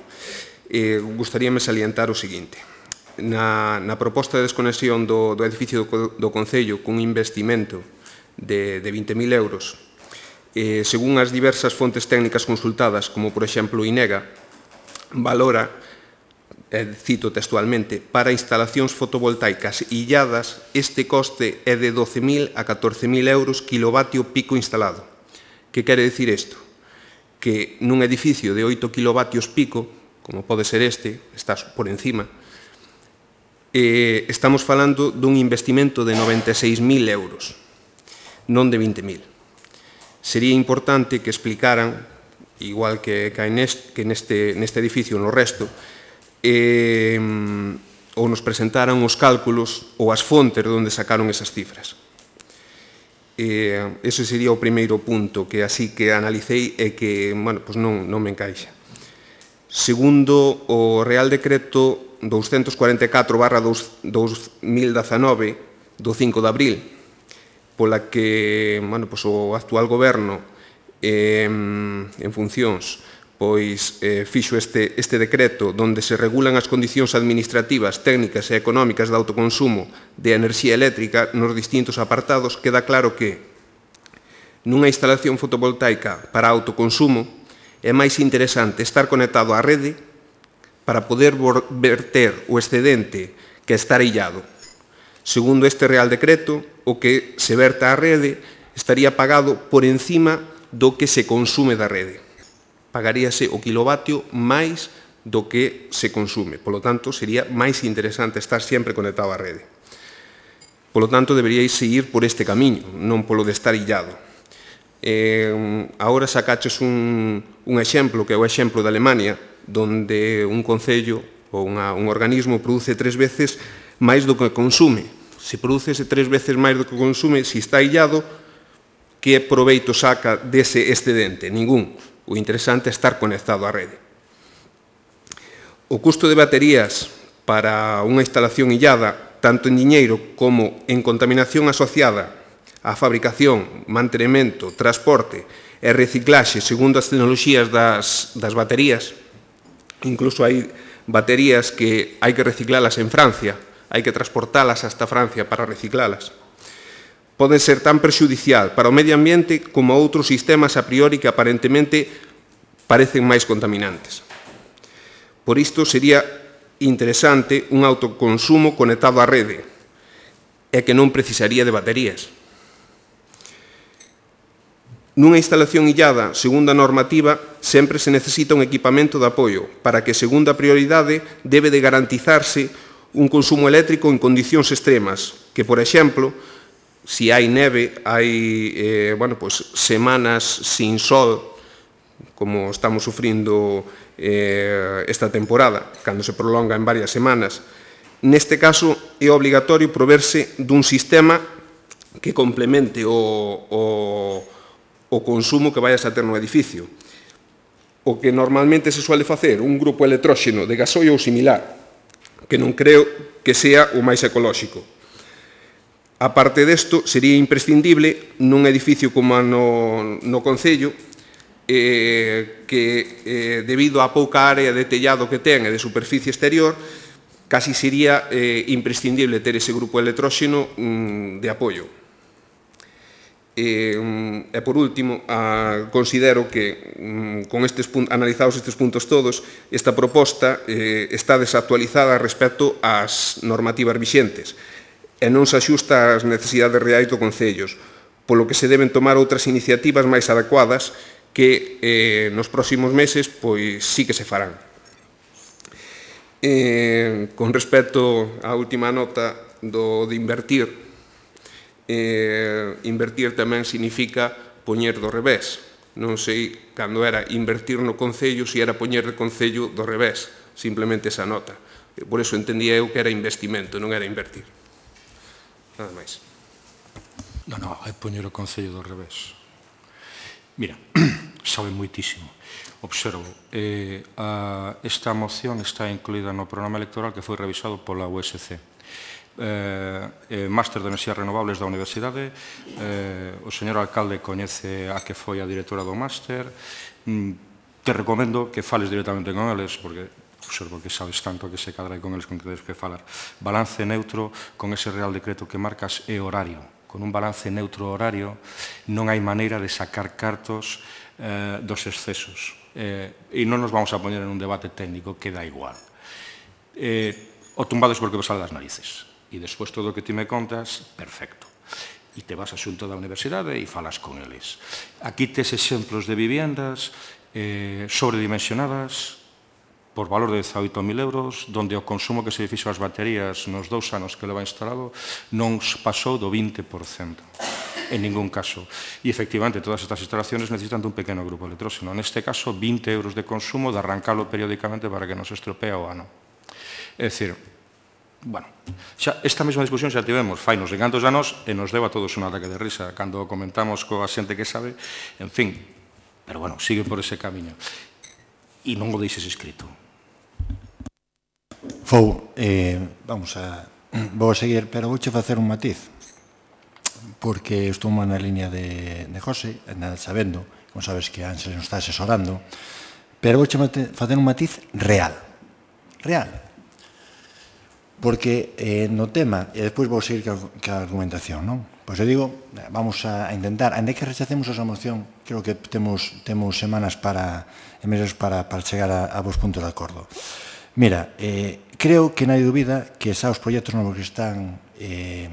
eh, gustaríame salientar o seguinte. Na, na proposta de desconexión do, do edificio do, do Concello cun investimento de, de vinte mil euros, eh, según as diversas fontes técnicas consultadas, como por exemplo INEGA, valora, eh, cito textualmente, para instalacións fotovoltaicas illadas, este coste é de doce mil a catorce mil euros kilovatio pico instalado. Que quere dicir isto? Que nun edificio de oito kilovatios pico, como pode ser este, está por encima, eh, estamos falando dun investimento de noventa e seis mil euros, non de vinte mil. Sería importante que explicaran, igual que, que, neste, que neste, neste edificio no resto, eh, ou nos presentaran os cálculos ou as fontes onde sacaron esas cifras. Eh, ese sería o primeiro punto que así que analicei e que, bueno, pues non, non me encaixa. Segundo, o Real Decreto doscientos cuarenta e catro barra dos mil dezanove do cinco de abril, pola que, bueno, pues, o actual goberno eh, en funcións pois eh, fixo este, este decreto onde se regulan as condicións administrativas, técnicas e económicas de autoconsumo de enerxía eléctrica nos distintos apartados, queda claro que nunha instalación fotovoltaica para autoconsumo é máis interesante estar conectado á rede para poder verter o excedente que está illado. Segundo este Real Decreto, o que se verta á rede estaría pagado por encima do que se consume da rede. Pagaríase o kilovatio máis do que se consume. Polo tanto, sería máis interesante estar sempre conectado á rede. Polo tanto, deberíais seguir por este camiño, non polo de estar illado. Eh, agora sacaches un, un exemplo, que é o exemplo de Alemania, donde un concello ou unha, un organismo produce tres veces máis do que consume. Se produce tres veces máis do que consume, se está illado, que proveito saca dese excedente? Ningún. O interesante é estar conectado á rede. O custo de baterías para unha instalación illada, tanto en diñeiro como en contaminación asociada á fabricación, mantenimento, transporte e reciclaxe segundo as tecnoloxías das, das baterías, incluso hai baterías que hai que reciclalas en Francia, hai que transportalas hasta Francia para reciclalas. Poden ser tan perxudicial para o medio ambiente como outros sistemas a priori que aparentemente parecen máis contaminantes. Por isto sería interesante un autoconsumo conectado á rede e que non precisaría de baterías. Nunha instalación illada, segundo a normativa, sempre se necesita un equipamento de apoio para que, segundo a prioridade, debe de garantizarse un consumo eléctrico en condicións extremas, que, por exemplo, si hai neve, hai eh, bueno, pues, semanas sin sol, como estamos sufrindo eh, esta temporada, cando se prolonga en varias semanas. Neste caso, é obligatorio proverse dun sistema que complemente o, o, o consumo que vayas a ter no edificio. O que normalmente se suele facer, un grupo electróxeno de gasoio ou similar, que non creo que sea o máis ecolóxico. A parte desto, sería imprescindible nun edificio como no, no Concello, eh, que eh, debido á pouca área de tellado que ten e de superficie exterior, casi sería eh, imprescindible ter ese grupo electróxeno mm, de apoio. E, mm, e por último, a, considero que, mm, con estes analizados estes puntos todos, esta proposta eh, está desactualizada respecto ás normativas vixentes e non se axusta ás necesidades reais do Concellos, polo que se deben tomar outras iniciativas máis adecuadas que eh, nos próximos meses pois sí que se farán. Eh, con respecto á última nota do de invertir, eh, invertir tamén significa poñer do revés. Non sei, cando era invertir no Concello, se era poñer de Concello do revés, simplemente esa nota. Por eso entendía eu que era investimento, non era invertir. Nada máis. Non, non, é poñer o Concello do revés. Mira, sabe moitísimo. Observo, eh, a, esta moción está incluída no programa electoral que foi revisado pola U S C. Eh, eh, Máster de Enerxías Renovables da Universidade, eh, o señor alcalde coñece a que foi a directora do máster. Mm, te recomendo que fales directamente con eles, porque observo que sabes tanto que se cadra con eles con que tens que falar. Balance neutro con ese Real Decreto que marcas e horario. Con un balance neutro horario non hai maneira de sacar cartos eh, dos excesos. Eh, e non nos vamos a poñer en un debate técnico que dá igual. Eh, o tumbado é porque vos sale das narices. E despois todo o que ti me contas, perfecto. E te vas a xunto da universidade e falas con eles. Aquí tes exemplos de viviendas eh, sobredimensionadas, por valor de dezaoito mil euros, donde o consumo que se fixo as baterías nos dous anos que leva instalado non pasou do vinte por cento. En ningún caso. E, efectivamente, todas estas instalaciones necesitan dun pequeno grupo electróxeno. Neste caso, vinte euros de consumo de arrancalo periódicamente para que non se estropea o ano. É dicir, bueno, xa, esta mesma discusión xa tivemos fai nos encantos anos e nos deu a todos un ataque de risa cando comentamos coa xente que sabe, en fin, pero, bueno, sigue por ese camiño. E non o deixes escrito. Fou, eh, vamos a, vou a seguir, pero vouche facer un matiz, porque estou na línea de, de José, nada sabendo, como sabes que Ángel nos está asesorando, pero vouche facer un matiz real, real, porque eh, no tema, e despois vou seguir ca argumentación, non? Pois eu digo, vamos a intentar, ainda que rechacemos esa moción, creo que temos, temos semanas para, e meses para, para chegar a, a vos puntos de acordo. Mira, eh, creo que non hai dúbida que xa os proxectos novos que están eh,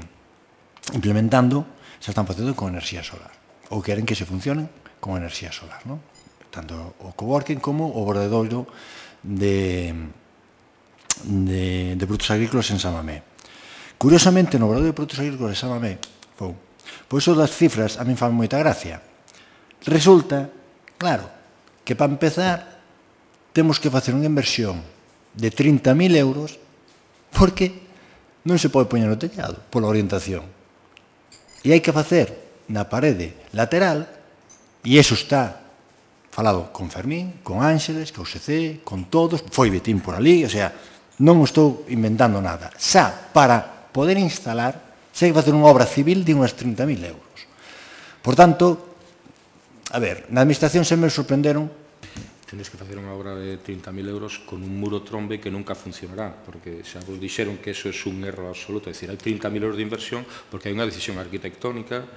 implementando se están facendo con enerxía solar, ou queren que se funcionen con enerxía solar, non? Tanto o coworking como o bordedoiro de, de, de produtos agrícolas en Samamé. Curiosamente, no bordedoiro de produtos agrícolas de Samamé, pou, pois iso das cifras a min fan moita gracia. Resulta, claro, que para empezar temos que facer unha inversión de trinta mil euros porque non se pode poñer no tellado pola orientación. E hai que facer na parede lateral, e iso está falado con Fermín, con Ángeles, con U S C, con todos, foi Betín por ali, o sea, non estou inventando nada. Xa, para poder instalar, xa hai que facer unha obra civil de unhas trinta mil euros. Por tanto, a ver, na administración se me sorprenderon. Tenes que facer unha obra de trinta mil euros con un muro trombe que nunca funcionará, porque xa vos dixeron que eso é un erro absoluto, é dicir, hai trinta mil euros de inversión porque hai unha decisión arquitectónica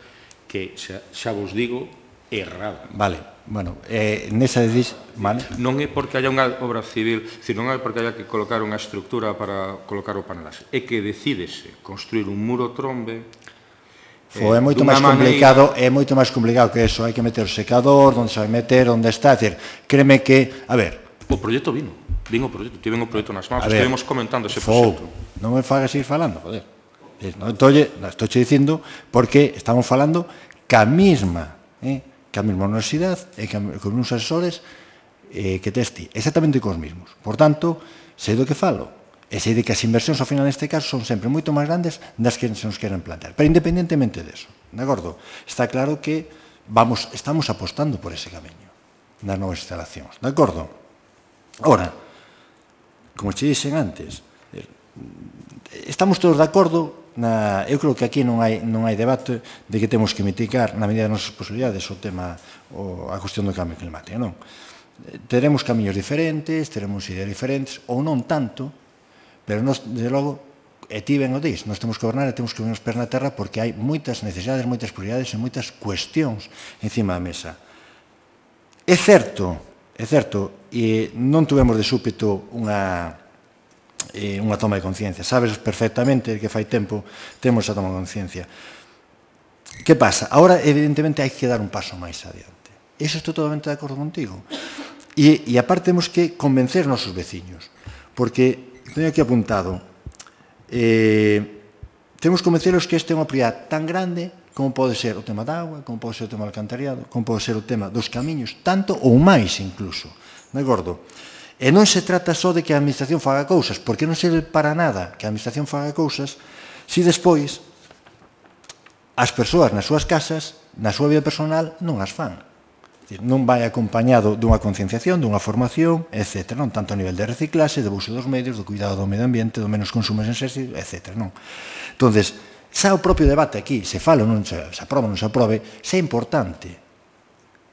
que, xa, xa vos digo, errada. Vale, bueno, eh, nesa decisión, vale? Non é porque haya unha obra civil, dicir, non é porque haya que colocar unha estructura para colocar o panelaxe, é que decídese construir un muro trombe Fo, é moito máis complicado, é moito máis complicado que eso, hai que meter o secador, onde se vai meter, onde está, é dicir, créeme que, a ver, o proxecto vino, vino o proxecto, tiven o proxecto nas mãos, estivemos comentando ese Fo, proxecto. non me fagas ir falando, joder. Entonces, estou dicindo porque estamos falando ca mesma, eh, ca mesma universidade e ca, con uns asesores eh, que tes ti, exactamente cos mismos. Por tanto, sei do que falo. E sei de que as inversións ao final neste caso son sempre moito máis grandes das que se nos queren plantear. Pero independentemente deso, de acordo? Está claro que vamos, estamos apostando por ese camiño nas novas instalacións, de acordo? Ora, como che dixen antes, estamos todos de acordo, na, eu creo que aquí non hai, non hai debate de que temos que mitigar na medida das nosas posibilidades o tema, o, a cuestión do cambio climático, non? Teremos camiños diferentes, teremos ideas diferentes, ou non tanto, pero nos, desde logo, e ti ben o dis, nos temos que gobernar e temos que ver os pés na terra porque hai moitas necesidades, moitas prioridades e moitas cuestións encima da mesa. É certo, é certo, e non tuvemos de súpeto unha, eh, unha toma de conciencia. Sabes perfectamente que fai tempo temos esa toma de conciencia. Que pasa? Ahora, evidentemente, hai que dar un paso máis adiante. Iso estou totalmente de acordo contigo. E, e aparte, temos que convencer os nosos veciños, porque teño aquí apuntado, eh, temos que convenceros que este é unha prioridade tan grande como pode ser o tema da agua, como pode ser o tema do alcantarillado, como pode ser o tema dos camiños, tanto ou máis incluso, de acordo? E non se trata só de que a administración faga cousas, porque non serve para nada que a administración faga cousas se despois as persoas nas súas casas, na súa vida personal, non as fan. Non vai acompañado dunha concienciación, dunha formación, etcétera, non tanto a nivel de reciclaxe, de uso dos medios, do cuidado do medio ambiente, do menos consumo en exercicio, etcétera, non? Entonces, xa o propio debate aquí, se fala, non se, se aproba, non se aprobe, xa é importante,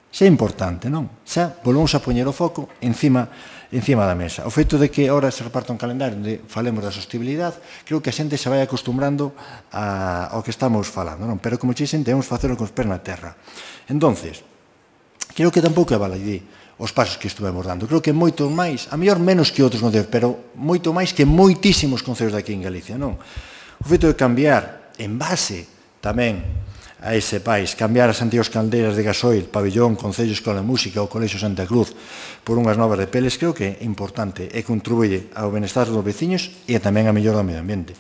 xa é importante, non? Xa volvemos a poñer o foco encima, encima da mesa. O feito de que agora se reparta un calendario onde falemos da sostenibilidade, creo que a xente se vai acostumbrando a, ao que estamos falando, non? Pero como che dixen, temos que facelo con os pés na terra. Entonces, creo que tampouco é baladí os pasos que estuvemos dando. Creo que moito máis, a mellor menos que outros concellos, pero moito máis que moitísimos concellos daqui en Galicia, non? O feito de cambiar en base tamén a ese país, cambiar as antigas caldeiras de gasoil, pabellón, Concello Escola de Música ou Colexio Santa Cruz por unhas novas de peles, creo que é importante e contribuye ao benestar dos veciños e tamén a mellor do medio ambiente.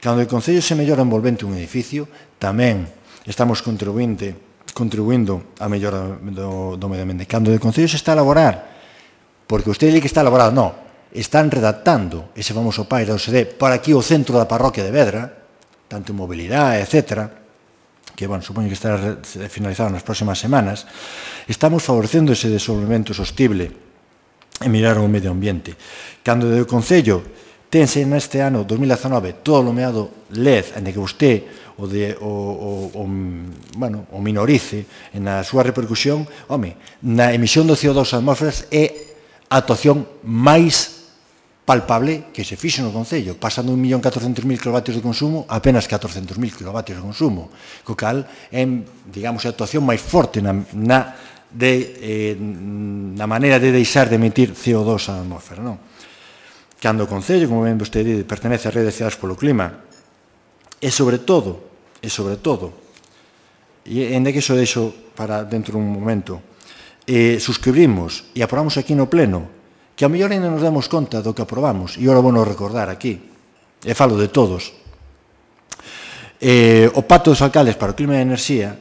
Cando o Concello se mellora envolvente un edificio, tamén estamos contribuinte contribuindo a mellora do, do medio ambiente. Cando o Concello se está a elaborar, porque usted di que está elaborado, non, están redactando ese famoso P A I da O S D para aquí o centro da parroquia de Vedra, tanto en mobilidade, etcétera, que, bueno, supoño que estará finalizado nas próximas semanas, estamos favorecendo ese desenvolvemento sostible e mirar o medio ambiente. Cando o Concello tense neste ano dos mil dezanove todo o nomeado L E D, en que vostede o, de, o, o, o, bueno, o minorice na súa repercusión, home, na emisión do C O dos atmósferas é a actuación máis palpable que se fixe no Concello, pasando un millón catorcentos mil kilovatios de consumo a apenas catorcentos mil kilovatios de consumo, co cal é, digamos, a actuación máis forte na, na, de, eh, na maneira de deixar de emitir C O dos á atmósfera, non? Cando o Concello, como ben vostede, pertenece á rede de cidades polo clima, e sobre todo, e sobre todo, e en que iso deixo para dentro dun momento, eh, suscribimos e aprobamos aquí no Pleno, que a mellor ainda nos damos conta do que aprobamos, e ora vou nos recordar aquí, e falo de todos, eh, o Pacto dos Alcaldes para o Clima e a Enerxía,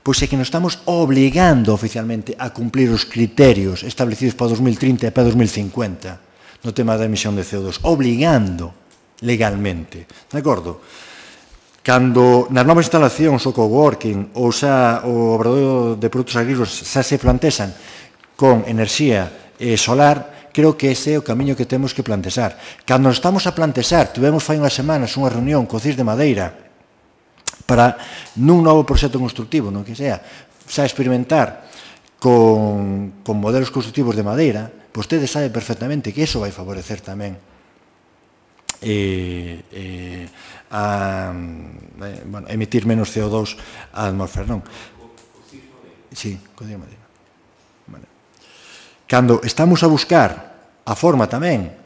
pois é que nos estamos obligando oficialmente a cumplir os criterios establecidos para dos mil trinta e para dos mil cincuenta no tema da emisión de C O dos, obligando legalmente, de acordo? Cando nas novas instalacións o coworking ou xa o obradoiro de produtos agrícolas xa se plantexan con enerxía eh, solar, creo que ese é o camiño que temos que plantexar. Cando nos estamos a plantexar, tivemos fai unhas semanas unha reunión co C I S de Madeira para nun novo proxecto constructivo, non que sea, xa experimentar con, con modelos constructivos de madeira, vostede sabe perfectamente que iso vai favorecer tamén eh, eh, a eh, bueno, emitir menos C O dos á atmósfera, non? Sí, co C I S de Madeira. Vale. Cando estamos a buscar a forma tamén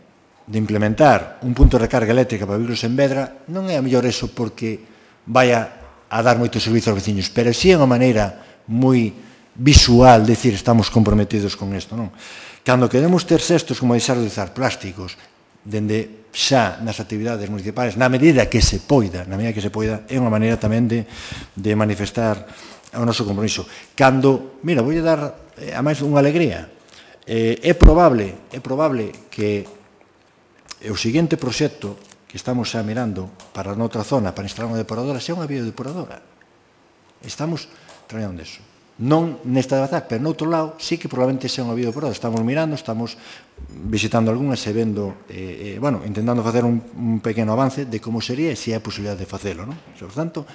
de implementar un punto de recarga eléctrica para vehículos en Vedra, non é a mellor eso porque vaya a dar moito servizo aos veciños, pero si é unha maneira moi visual, decir, estamos comprometidos con isto, non? Cando queremos ter xestos como deixar de usar plásticos, dende xa nas actividades municipais, na medida que se poida, na medida que se poida, é unha maneira tamén de, de manifestar o noso compromiso. Cando, mira, vou dar a máis unha alegría, eh, é probable, é probable que o seguinte proxecto que estamos xa mirando para noutra zona, para instalar unha depuradora, sea unha biodepuradora. Estamos traballando nisso. Non nesta de Bazar, pero noutro lado, sí que probablemente sea unha biodepuradora. Estamos mirando, estamos visitando algunhas e vendo, eh, eh, bueno, intentando facer un, un pequeno avance de como sería e se hai posibilidad de facelo, non? Por tanto,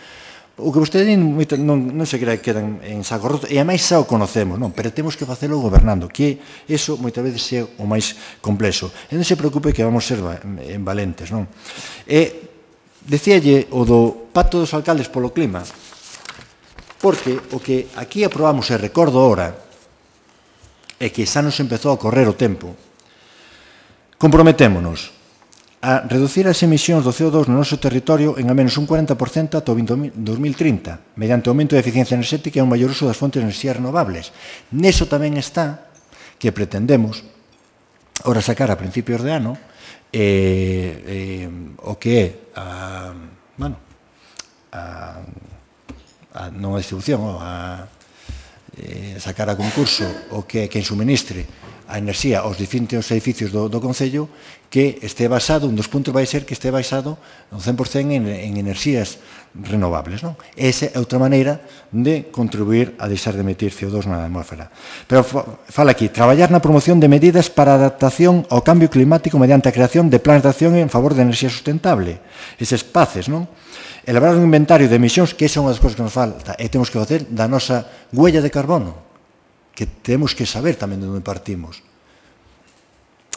o que vostede non, non se crea que quedan en saco roto, e a máis xa o conocemos, non? Pero temos que facelo gobernando, que eso moitas veces é o máis complexo. E non se preocupe que vamos ser en valentes, non? E decíalle o do pacto dos alcaldes polo clima, porque o que aquí aprobamos, e recordo ahora, é que xa nos empezou a correr o tempo, comprometémonos a reducir as emisións do C O dos no noso territorio en a menos un cuarenta por cento ata o dos mil trinta, mediante o aumento de eficiencia enerxética e un maior uso das fontes de enerxías renovables. Neso tamén está que pretendemos, ora sacar a principios de ano, eh, eh, o que é a, bueno, a, a non a distribución, a eh, sacar a concurso o que é quen suministre a enerxía aos distintos edificios do, do Concello, que este basado, un dos puntos vai ser que este basado un cen por cento en, en enerxías renovables, non? Esa é outra maneira de contribuir a deixar de emitir C O dos na atmósfera. Pero fala aquí, traballar na promoción de medidas para a adaptación ao cambio climático mediante a creación de plans de acción en favor da enerxía sustentable. Eses paces, non? Elaborar un inventario de emisións, que esa é unha das cousas que nos falta, e temos que facer da nosa huella de carbono, que temos que saber tamén de onde partimos.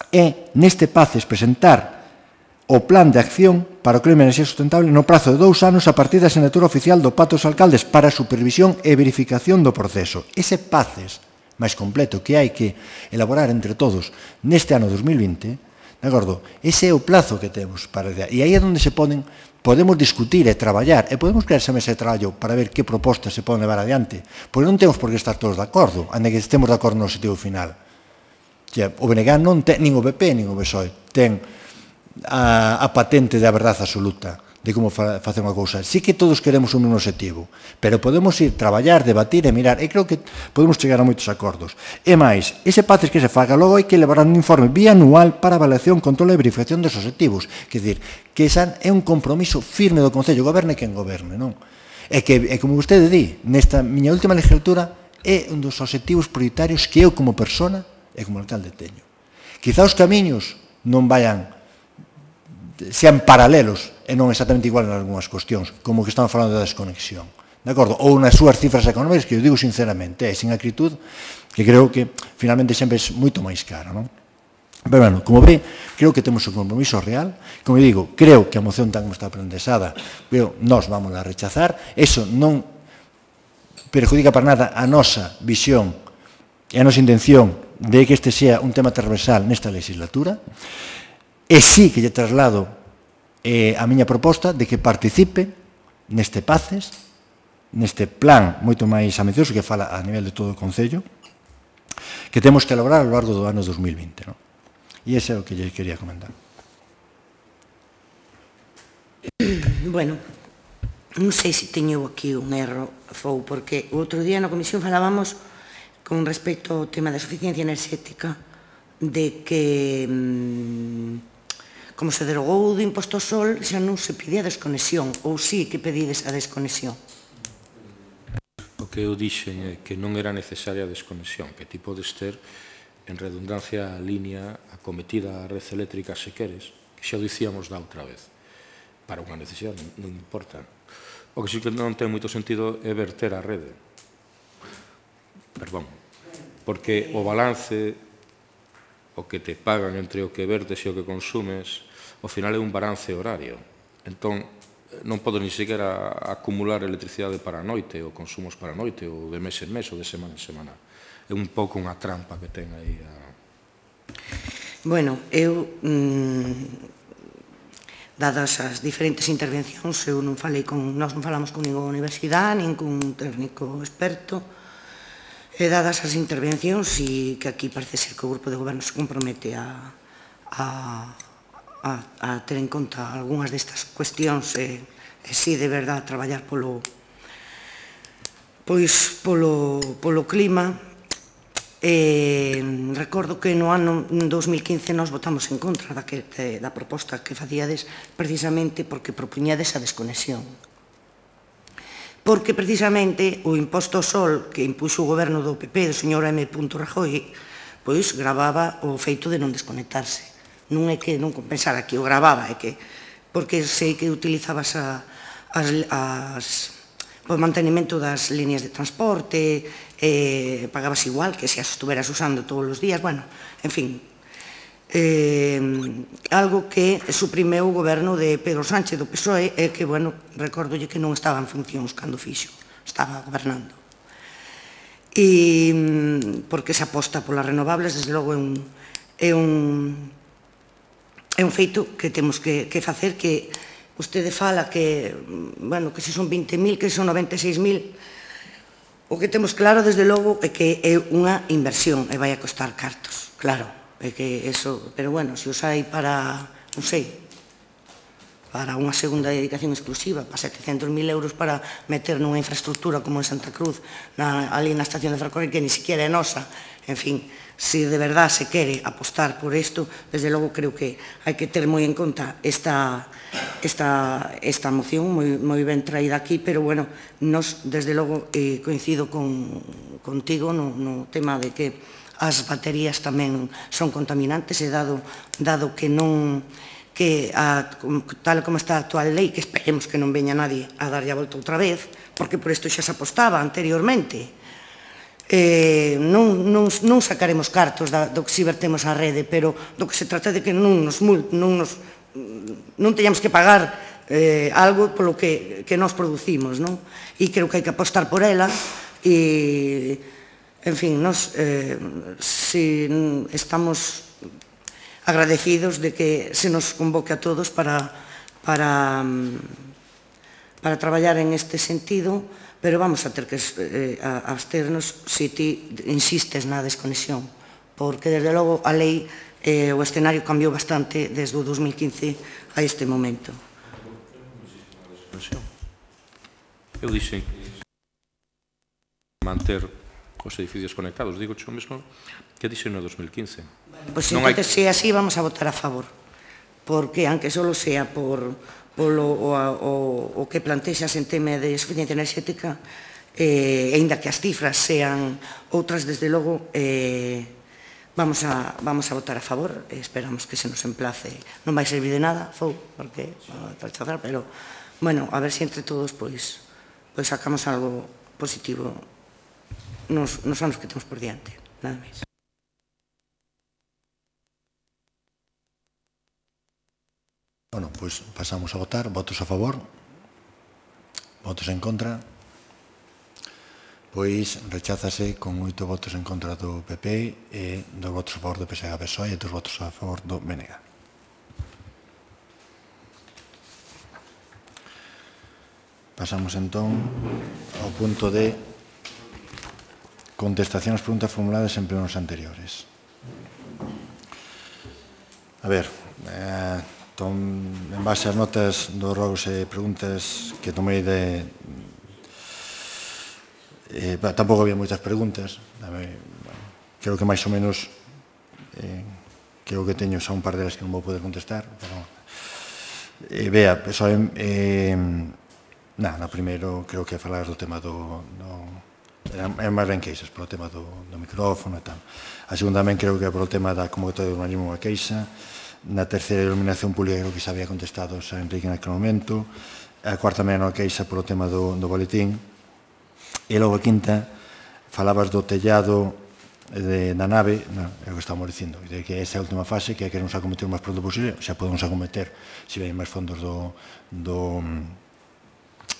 E, neste paces, presentar o plan de acción para o clima e enerxía sustentable no prazo de dous anos a partir da asignatura oficial do Pacto dos Alcaldes para a supervisión e verificación do proceso. Ese paces máis completo que hai que elaborar entre todos neste ano dos mil vinte, de acordo? Ese é o plazo que temos para... E aí é onde se poden... Podemos discutir e traballar, e podemos crear esa mesa de traballo para ver que propostas se poden levar adiante, porque non temos por que estar todos de acordo, ainda que estemos de acordo no objetivo final. O B N G non ten, nin o B P, nin o B S O E, ten a, a patente da verdade absoluta de como fa, facer unha cousa. Sí que todos queremos un mesmo objetivo, pero podemos ir traballar, debatir e mirar, e creo que podemos chegar a moitos acordos. E máis, ese paces que se faga, logo hai que elaborar un informe bianual para avaliación, control e verificación dos objetivos. Quer dizer, que esa é un compromiso firme do Concello, goberne quen goberne, non? E que, e como vostede di, nesta miña última legislatura, é un dos objetivos prioritarios que eu como persona e como alcalde teño. Quizá os camiños non vayan, sean paralelos e non exactamente igual en algunhas cuestións, como que estamos falando da desconexión, de acordo? Ou nas súas cifras económicas, que eu digo sinceramente, é sin acritud, que creo que finalmente sempre é moito máis caro, non? Pero, bueno, como ve, creo que temos un compromiso real. Como digo, creo que a moción tan como está prendesada, pero nós vamos a rechazar. Eso non perjudica para nada a nosa visión e a nosa intención de que este sea un tema transversal nesta legislatura. E sí que lle traslado eh, a miña proposta de que participe neste paces, neste plan moito máis ambicioso que fala a nivel de todo o Concello, que temos que elaborar ao largo do ano dos mil vinte, non? E ese é o que lle quería comentar. Bueno, non sei se teño aquí un erro, Fou, porque o outro día na comisión falábamos con respecto ao tema da suficiencia enerxética de que, como se derogou do imposto ao sol, xa non se pide a desconexión, ou sí que pedides a desconexión? O que eu dixen é que non era necesaria a desconexión, que ti podes ter en redundancia a línea acometida a red eléctrica se queres, que xa o dicíamos da outra vez, para unha necesidade, non importa. O que sí que non ten moito sentido é verter a rede. Perdón. Porque o balance, o que te pagan entre o que vertes e o que consumes, ao final é un balance horario. Entón, non podes ni sequera acumular electricidade para a noite, ou consumos para a noite, ou de mes en mes, ou de semana en semana. É un pouco unha trampa que ten aí a... Bueno, eu... Mmm, dadas as diferentes intervencións, eu non falei con, nós non falamos con ninguna universidade, nin con un técnico experto, e dadas as intervencións, e que aquí parece ser que o grupo de goberno se compromete a, a, a, a ter en conta algunhas destas cuestións e, e si de verdade traballar polo, pois, polo, polo clima. E recordo que no ano dos mil quince nós votamos en contra da, que, da proposta que facíades precisamente porque propuñades a desconexión. Porque precisamente o imposto ao sol que impuxo o goberno do P P do señor M. Rajoy pois gravaba o feito de non desconectarse. Non é que non compensara que o gravaba, é que porque sei que utilizabas a, as, as, o mantenimento das líneas de transporte, eh, pagabas igual que se as estuveras usando todos os días, bueno, en fin, eh, algo que suprimeu o goberno de Pedro Sánchez do P S O E e que, bueno, recordolle que non estaba en funcións cando fixo, estaba gobernando. E porque se aposta polas renovables, desde logo é un, é un, é un feito que temos que, que facer, que vostede fala que, bueno, que se son vinte mil, que son noventa e seis mil. O que temos claro, desde logo, é que é unha inversión e vai a costar cartos, claro, é que eso, pero bueno, se os hai para, non sei, para unha segunda dedicación exclusiva, para setecentos mil euros para meter nunha infraestructura como en Santa Cruz, na, ali na estación de ferrocarril, que ni siquiera é nosa, en fin, se de verdade se quere apostar por isto, desde logo creo que hai que ter moi en conta esta, esta, esta moción moi, moi ben traída aquí, pero bueno, nos desde logo eh, coincido con, contigo no, no tema de que as baterías tamén son contaminantes e dado, dado que non que a, tal como está a actual lei, que esperemos que non veña nadie a darlle a volta outra vez, porque por isto xa se apostaba anteriormente, Eh, non, non, non sacaremos cartos da, do que si vertemos á rede, pero do que se trata de que non nos, non nos non teñamos que pagar eh, algo polo que, que nos producimos, non? E creo que hai que apostar por ela e, en fin, nos eh, si estamos agradecidos de que se nos convoque a todos para para para traballar en este sentido, pero vamos a ter que eh, absternos se ti insistes na desconexión, porque desde logo a lei, eh, o escenario cambiou bastante desde o dos mil quince a este momento. Eu dixen manter os edificios conectados, digo xo mesmo que dixen no dos mil quince. Pois entón, se é así, vamos a votar a favor, porque aunque solo sea por polo o, o, o que plantexas en tema de suficiencia enerxética, e aínda que as cifras sean outras, desde logo, eh, vamos, a, vamos a votar a favor, e esperamos que se nos emplace. Non vai servir de nada, fou, porque vamos a rechazar, pero, bueno, a ver se entre todos, pois, pois sacamos algo positivo nos, nos anos que temos por diante, nada máis. Bueno, pois pasamos a votar. Votos a favor? Votos en contra? Pois recházase con oito votos en contra do P P e dos votos a favor do P S E G P S O E e dos votos a favor do B N G. Pasamos entón ao punto de contestación ás preguntas formuladas en plenos anteriores. A ver, eh, en base ás notas dos rogos e preguntas que tomei de... Eh, tampouco había moitas preguntas. Dame, bueno, creo que máis ou menos eh, creo que teño xa un par delas que non vou poder contestar. Pero, eh, vea, só, eh, na, no primeiro creo que falar do tema do... do eran, eran máis ben queixas polo tema do, do micrófono e tal. A segunda tamén creo que é polo tema da convocatoria de urbanismo a queixa. Na terceira iluminación pública creo que se había contestado a Enrique naquele momento. A cuarta tamén a queixa polo tema do, do boletín. E logo a quinta falabas do tellado de, da nave, no, é o que estamos dicindo, de que esa é a última fase, que é que nos acometer o máis pronto posible, xa podemos acometer se ven máis fondos do do,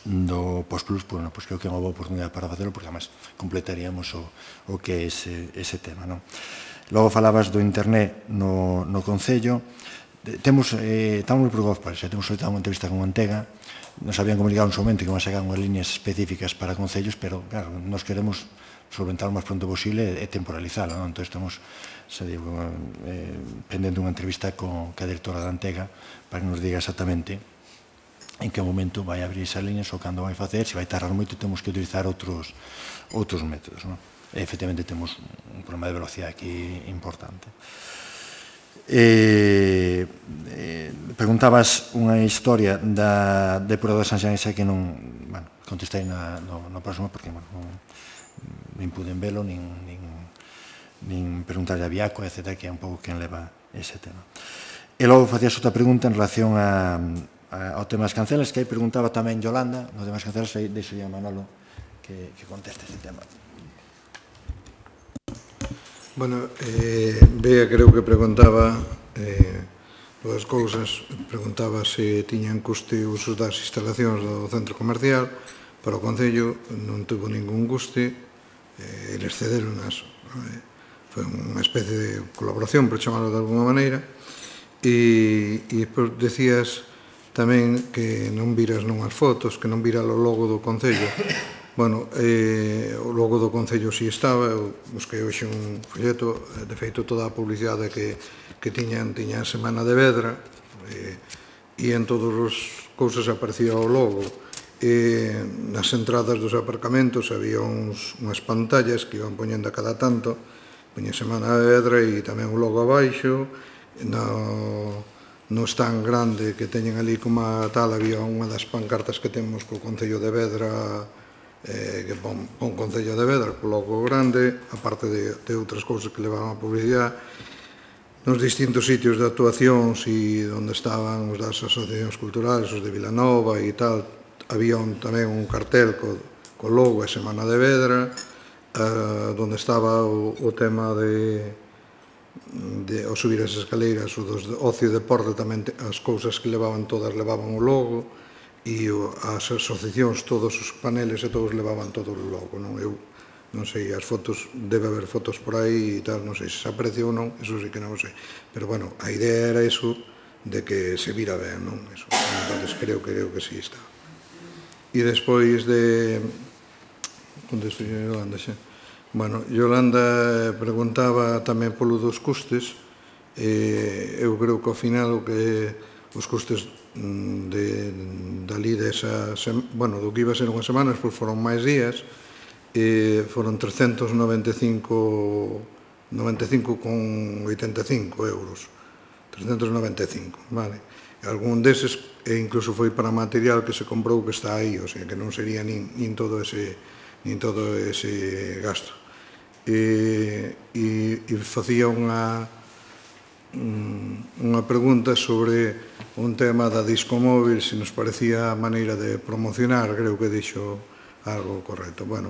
do Postplus, pues, no, pues creo que é unha boa oportunidade para facelo, porque además completaríamos o, o que é ese, ese tema, non? Logo falabas do internet no, no Concello. Temos, eh, estamos moi preocupados por eso. Temos solicitado unha entrevista con Antega. Nos habían comunicado en su momento que van a sacar unhas líneas específicas para concellos, pero, claro, nos queremos solventar o máis pronto posible e temporalizalo, non? Entón, estamos, se digo, eh, pendendo unha entrevista co, ca directora da Antega para que nos diga exactamente en que momento vai abrir esas líneas ou cando vai facer. Se vai tardar moito, temos que utilizar outros, outros métodos, non? E, efectivamente, temos un problema de velocidade aquí importante. Eh, eh, preguntabas unha historia da depuradora de San Xanesa que non, bueno, contestei na, no, no próximo porque, bueno, non, nin puden velo, nin, nin, nin preguntarle a Biaco, etcétera, que é un pouco quen leva ese tema. E logo facías outra pregunta en relación a, a, ao tema das cancelas, que aí preguntaba tamén Yolanda, no tema das cancelas, aí deixo a Manolo que, que conteste este tema. Bueno, eh, Bea creo que preguntaba eh, dúas cousas. Preguntaba se tiñan custe o uso das instalacións do centro comercial. Para o Concello non tuvo ningún custe, eh, eles cederon as. Eh, foi unha especie de colaboración, por chamarlo de alguma maneira. E, e depois decías tamén que non viras nunhas fotos, que non vira o logo do Concello. Bueno, eh, o logo do Concello si estaba, eu busquei hoxe un folleto, de feito toda a publicidade que, que tiñan, tiña a Semana de Vedra, eh, e en todas as cousas aparecía o logo. E nas entradas dos aparcamentos había uns, unhas pantallas que iban poñendo a cada tanto, poña Semana de Vedra e tamén o logo abaixo, no, no stand grande que teñen ali como a tal, había unha das pancartas que temos co Concello de Vedra, eh, que pon, pon Concello de Vedra, co logo grande, aparte de, de outras cousas que levaban a publicidade, nos distintos sitios de actuacións e onde estaban os das asociacións culturales, os de Vilanova e tal, había un, tamén un cartel co, co logo a Semana de Vedra, eh, onde estaba o, o tema de, de ao subir as escaleiras, o dos ocio e deporte tamén, as cousas que levaban todas levaban o logo, e as asociacións, todos os paneles e todos levaban todo o logo, non? Eu non sei, as fotos, debe haber fotos por aí e tal, non sei se se aprecia ou non, eso sí que non sei, pero bueno, a idea era eso, de que se vira ben, non? Eso, entonces creo que creo que sí está. E despois de... onde estou Yolanda xa? Bueno, Yolanda preguntaba tamén polo dos custes, e eu creo que ao final o que os custes de dali desa, bueno, do que iba a ser unhas semanas, pois foron máis días, e foron trescentos noventa e cinco con oitenta e cinco euros, trescentos noventa e cinco, vale. E algún deses, e incluso foi para material que se comprou que está aí, o sea, que non sería nin, nin todo ese nin todo ese gasto. E, e, e facía unha unha pregunta sobre un tema da Discomóvil, se nos parecía a maneira de promocionar, creo que dixo algo correcto. Bueno,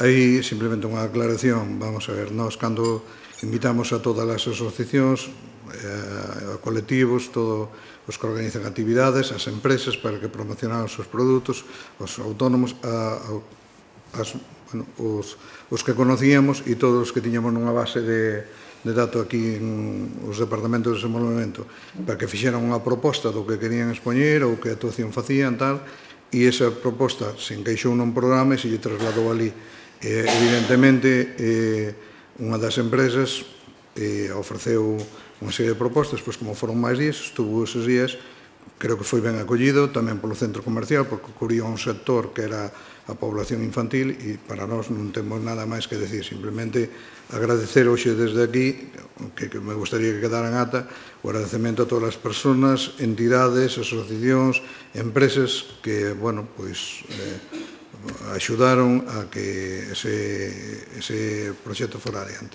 aí simplemente unha aclaración, vamos a ver, nós cando invitamos a todas as asociacións, a colectivos, todos os que organizan actividades, as empresas para que promocionaran os seus produtos, os autónomos, a, a, as, bueno, os, os que conocíamos e todos os que tiñamos nunha base de de dato aquí en os departamentos de desenvolvemento para que fixeran unha proposta do que querían expoñer ou que actuación facían, tal, e esa proposta se encaixou nun programa e se lle trasladou ali. Eh, evidentemente, eh, unha das empresas eh, ofreceu unha serie de propostas, pois como foron máis días, estuvo esos días, creo que foi ben acollido tamén polo centro comercial, porque cubría un sector que era a población infantil e para nós non temos nada máis que decir, simplemente agradecer hoxe desde aquí, que, que me gustaría que quedaran ata, o agradecemento a todas as persoas, entidades, asociacións, empresas que, bueno, pois, eh, axudaron a que ese, ese proxecto fora adiante.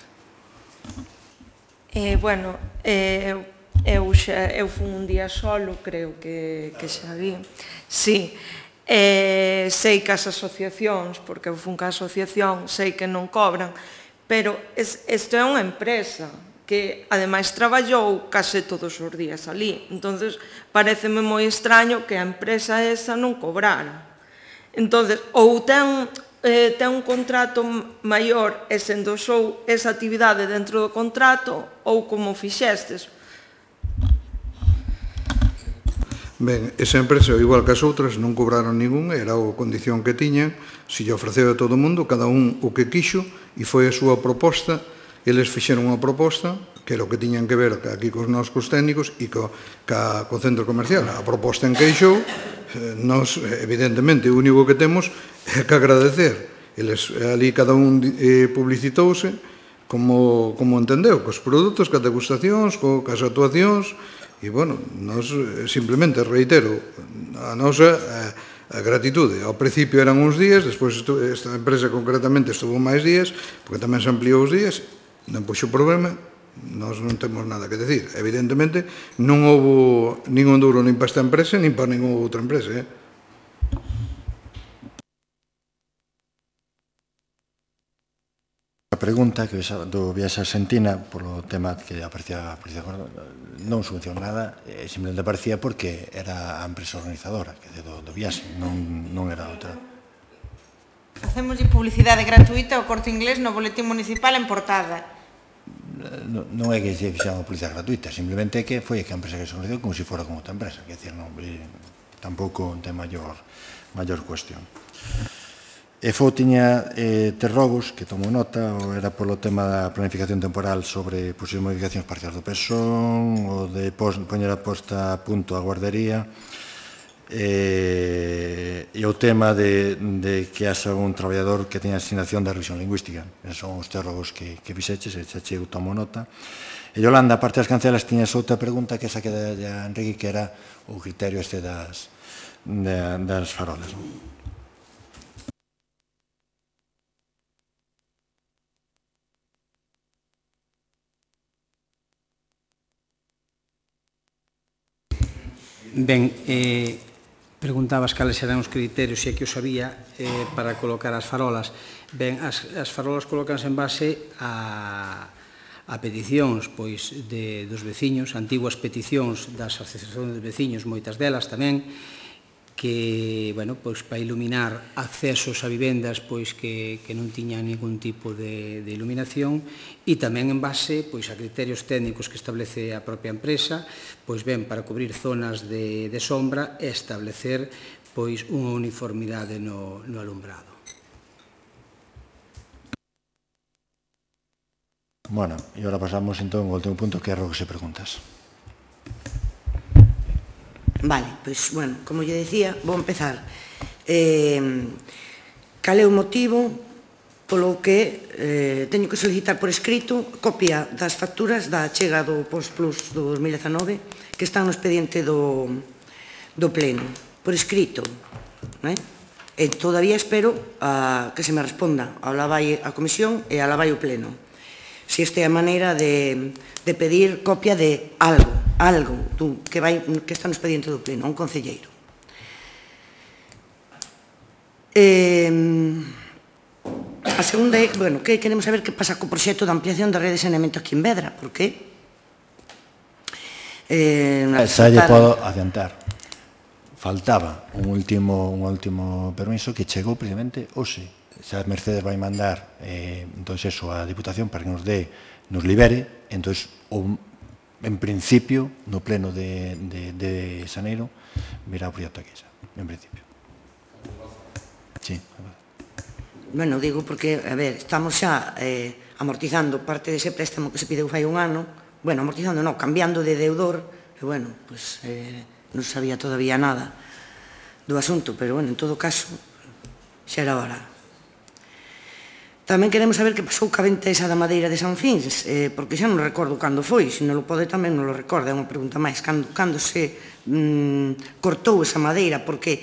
Eh, bueno, eh, eu, xa, eu fun un día solo, creo que, que xa vi. Sí, eh, sei que as asociacións, porque eu fun ca asociación, sei que non cobran, pero isto é unha empresa que ademais traballou case todos os días ali. Entonces, pareceme moi extraño que a empresa esa non cobrara. Entonces, ou ten, eh, ten un contrato maior e se endosou esa actividade dentro do contrato, ou como fixestes. Ben, esa empresa, igual que as outras, non cobraron ningún, era a condición que tiñan, se lle ofreceu a todo o mundo, cada un o que quixo, e foi a súa proposta, eles fixeron unha proposta, que era o que tiñan que ver aquí cos noscos técnicos e co, ca, co centro comercial. A proposta encaixou, nos, evidentemente, o único que temos é que agradecer. Eles, ali cada un eh, publicitouse como, como entendeu, cos produtos, cas degustacións, co, cas actuacións, e, bueno, nos simplemente reitero a nosa a, a gratitude. Ao principio eran uns días, despois esta empresa concretamente estuvo máis días, porque tamén se ampliou os días, non puxo problema, nós non temos nada que decir. Evidentemente, non houve ningún duro nin para esta empresa, nin para ninguna outra empresa, eh? A pregunta que do viaxe a Argentina, polo tema que aparecía, aparecía non subvencionou nada, eh, simplemente aparecía porque era a empresa organizadora que do, do viaxe, non, non era outra. Hacemos publicidade gratuita ao Corte Inglés no boletín municipal en portada. Non, non é que se fixamos publicidade gratuita, simplemente que foi que a empresa que se organizou como se fora con outra empresa, que decir, non, tampouco ten maior, maior cuestión. E Fo tiña eh, terrogos, que tomo nota, o era polo tema da planificación temporal sobre posibles modificacións parciais do PESON, o de pos, poñer a posta a punto a guardería, e, e o tema de, de que haxa un traballador que teña asignación de revisión lingüística. Esos son os terrogos que, que fixeches, e xa chego tomo nota. E Yolanda, a parte das cancelas, tiñas outra pregunta que esa que de, de Enrique, que era o criterio este das, de, das farolas, non? Ben, eh, preguntabas cales eran os criterios, se é que os sabía, eh, para colocar as farolas. Ben, as, as farolas colocanse en base a, a peticións pois, de, dos veciños, antiguas peticións das asociacións de veciños, moitas delas tamén, que, bueno, pois, para iluminar accesos a vivendas pois, que, que non tiñan ningún tipo de, de iluminación, e tamén en base pois, a criterios técnicos que establece a propia empresa, pois ben, para cubrir zonas de, de sombra e establecer pois, unha uniformidade no, no alumbrado. Bueno, e agora pasamos entón ao último punto, que é o que se preguntas. Vale, pois, bueno, como lle decía, vou empezar. Eh, cal é o motivo polo que eh, teño que solicitar por escrito copia das facturas da chega do Post Plus do dos mil dezanove que están no expediente do, do Pleno, por escrito, non é? E todavía espero a, que se me responda, ala vai a Comisión e ala vai o Pleno. Se esta é a maneira de, de pedir copia de algo, algo tú, que, vai, que está no expediente do Pleno, un concelleiro. Eh, a segunda é, bueno, que queremos saber que pasa co proxecto de ampliación da rede de saneamento aquí en Vedra, porque eh, Xa lle podo adiantar. Faltaba un último, un último permiso que chegou precisamente hoxe. Xa Mercedes vai mandar eh, entón eso a Diputación para que nos dé, nos libere, entón o, en principio no pleno de, de, de Xaneiro virá o proxecto aquí xa, en principio. Sí. Bueno, digo porque, a ver, estamos xa eh, amortizando parte dese préstamo que se pideu fai un ano, bueno, amortizando non, cambiando de deudor, e bueno, pues eh, non sabía todavía nada do asunto, pero bueno, en todo caso, xa era hora. Tamén queremos saber que pasou ca venta esa da madeira de San Fins, eh, porque xa non recordo cando foi, se non lo pode tamén non lo recorda, é unha pregunta máis, cando, cando se mm, cortou esa madeira, porque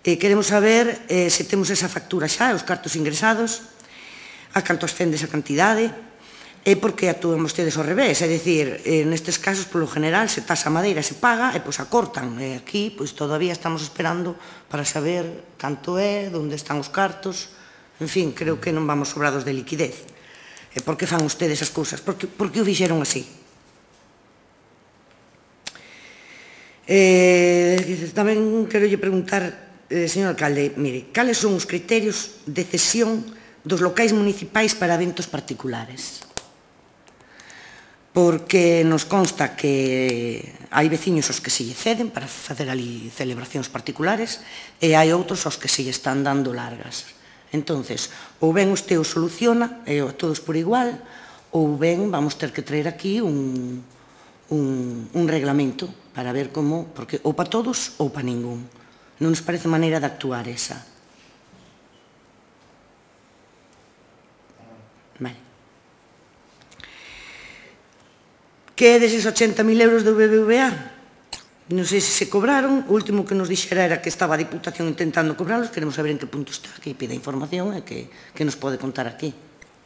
eh, queremos saber eh, se temos esa factura xa, os cartos ingresados, a canto ascende esa cantidade, e porque actúan vostedes ao revés, é dicir, eh, nestes casos, polo general, se tasa a madeira, se paga, e pois a cortan, e aquí, pois todavía estamos esperando para saber canto é, onde están os cartos. En fin, creo que non vamos sobrados de liquidez. E por que fan ustedes as cousas? Por que, por que o fixeron así? Eh, tamén quero lle preguntar, eh, señor alcalde, mire, cales son os criterios de cesión dos locais municipais para eventos particulares? porque nos consta que hai veciños aos que se lle ceden para facer ali celebracións particulares e hai outros aos que se lle están dando largas. Entonces, ou ben usted o soluciona, e a todos por igual, ou ben vamos ter que traer aquí un, un, un reglamento para ver como, porque ou para todos ou para ningún. Non nos parece maneira de actuar esa. Vale. Que é deses ochenta mil euros do B B V A? Non sei se se cobraron, o último que nos dixera era que estaba a Diputación intentando cobrarlos, queremos saber en que punto está, que pida información e que, que nos pode contar aquí.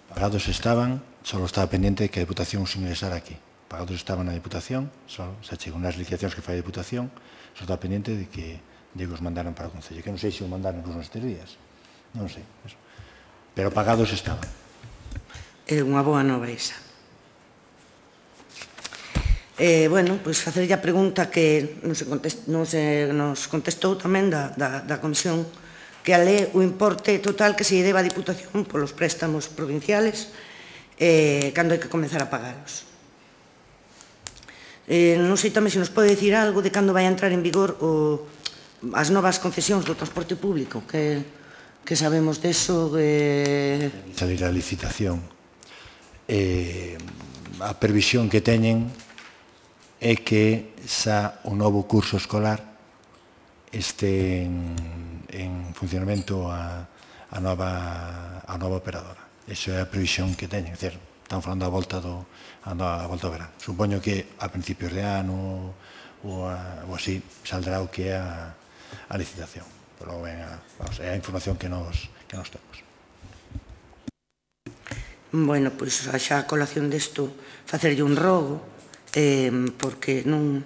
Pagados estaban, só estaba pendiente que a Diputación os ingresara aquí. Pagados estaban na Diputación, só se chegan nas licitacións que fai a Diputación, só estaba pendiente de que de que os mandaran para o Concello, que non sei se o mandaron incluso nestes días, non sei, eso. Pero pagados estaban. É unha boa nova esa. Eh, bueno, pois facerlle a pregunta que nos, contest, nos, eh, nos contestou tamén da, da, da Comisión, que ale o importe total que se lle deba a Diputación polos préstamos provinciales eh, cando hai que comenzar a pagalos. Eh, non sei tamén se nos pode dicir algo de cando vai a entrar en vigor o, as novas concesións do transporte público, que, que sabemos deso. Eh... Salir a licitación. Eh, a previsión que teñen é que xa o novo curso escolar este en, en funcionamento a, a, nova, a nova operadora. Iso é a previsión que teñen. É dicir, están falando a volta do, a, a volta do verán. Supoño que a principios de ano ou, a, ou así saldrá o que é a, a licitación. Pero ben, a, vamos, é a información que nos, que nos temos. Bueno, pois xa a colación desto facerlle un rogo, Eh, porque non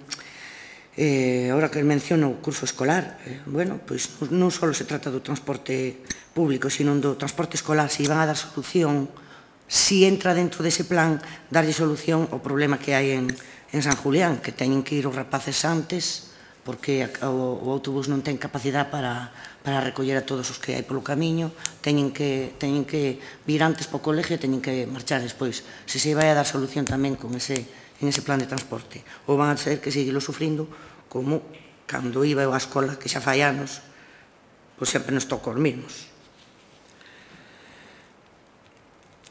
eh, ahora que menciono o curso escolar, eh, bueno, pois non só se trata do transporte público, sino do transporte escolar, se van a dar solución, si entra dentro dese plan, darlle solución ao problema que hai en, en San Julián, que teñen que ir os rapaces antes, porque o, o autobús non ten capacidade para, para recoller a todos os que hai polo camiño, teñen que, teñen que vir antes para o colegio e teñen que marchar despois. Se se vai a dar solución tamén con ese en ese plan de transporte, ou van a ser que seguilo sufrindo como cando iba eu á escola, que xa fai anos, pois sempre nos toca os mesmos.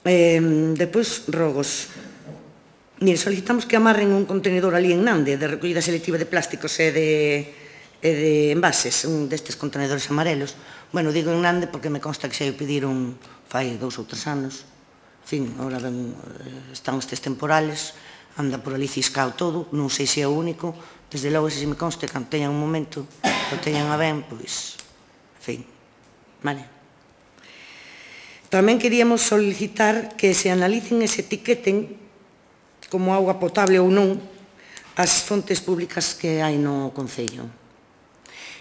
Eh, depois, rogos. Mire, solicitamos que amarren un contenedor ali en Nande de recollida selectiva de plásticos e de, e de envases, un destes contenedores amarelos. Bueno, digo en Nande porque me consta que xa o pediron fai dous ou tres anos. En fin, agora ben, están estes temporales, anda por ali ciscao todo, non sei se é o único, desde logo se me conste que teñan un momento, o teñan a ben, pois, en fin, vale. Tamén queríamos solicitar que se analicen e se etiqueten como auga potable ou non as fontes públicas que hai no Concello.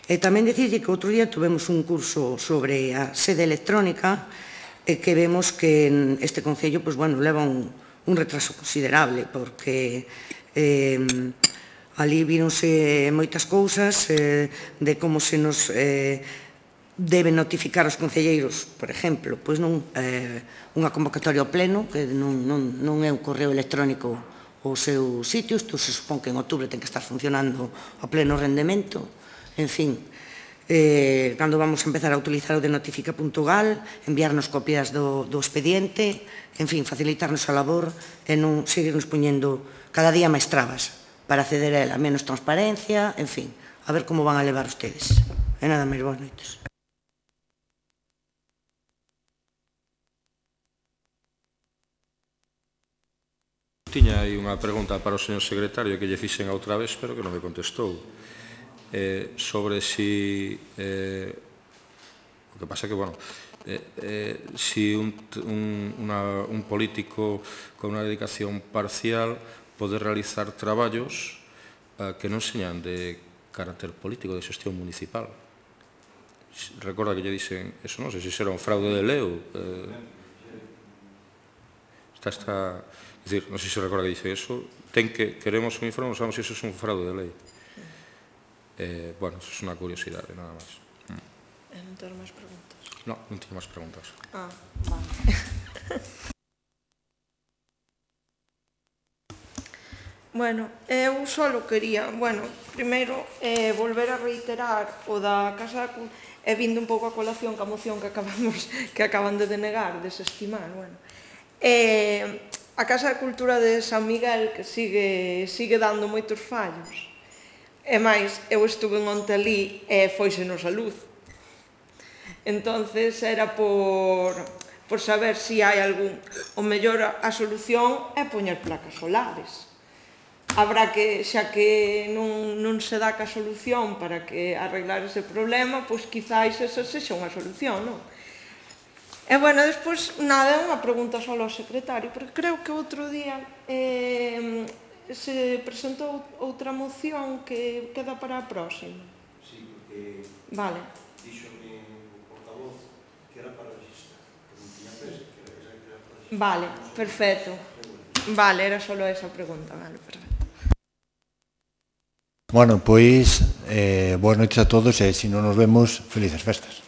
E tamén dicirlle que outro día tuvemos un curso sobre a sede electrónica e que vemos que este Concello, pois, bueno, leva un un retraso considerable, porque eh, ali víronse moitas cousas eh, de como se nos eh, deben notificar os concelleiros, por exemplo, pois non eh, unha convocatoria ao pleno, que non, non, non é un correo electrónico o seu sitio, isto se supón que en outubro ten que estar funcionando a pleno rendemento, en fin, eh, cando vamos a empezar a utilizar o de notifica punto gal, enviarnos copias do, do expediente, en fin, facilitarnos a labor e non seguirnos poñendo cada día máis trabas para acceder a ela, menos transparencia, en fin, a ver como van a levar ustedes. E nada máis, boas noites. Tiña aí unha pregunta para o señor secretario que lle fixen a outra vez, pero que non me contestou. Eh, sobre si eh, o que pasa que, bueno, eh, eh, si un, un, una, un político con unha dedicación parcial pode realizar traballos eh, que non señan de carácter político, de xestión municipal. Recorda que lle dixen, eso non sei se será un fraude de leo. Eh, está, está, es decir, non sei se recorda que dice eso, ten que, queremos un informe, non sabemos se eso é un fraude de lei. Eh, bueno, eso es una curiosidad, nada más. Mm. ¿No tengo más preguntas? No, no tengo más preguntas. Ah, vale. Bueno, eu só quería, bueno, primeiro, eh, volver a reiterar o da Casa da Cultura, e vindo un pouco a colación ca moción que acabamos, que acaban de denegar, desestimar, bueno. Eh, a Casa da Cultura de San Miguel, que sigue, sigue dando moitos fallos. E máis, eu estuve onte ali e foisenos a luz. Entonces, era por, por saber se hai algún... O mellor a solución é poñer placas solares. Habrá que, xa que non, non se dá ca solución para que arreglar ese problema, pois quizáis esa sexa unha solución, non? E, bueno, despois, nada, é unha pregunta só ao secretario, porque creo que outro día eh, se presentou outra moción que queda para a próxima. Sí, porque... Vale. Díxome o portavoz que era para registrar, que non tiña presa, que era que era para registrar. Vale, perfecto. Vale, era só esa pregunta, vale, perfecto. Bueno, pois, eh, boas noites a todos e se non nos vemos, felices festas.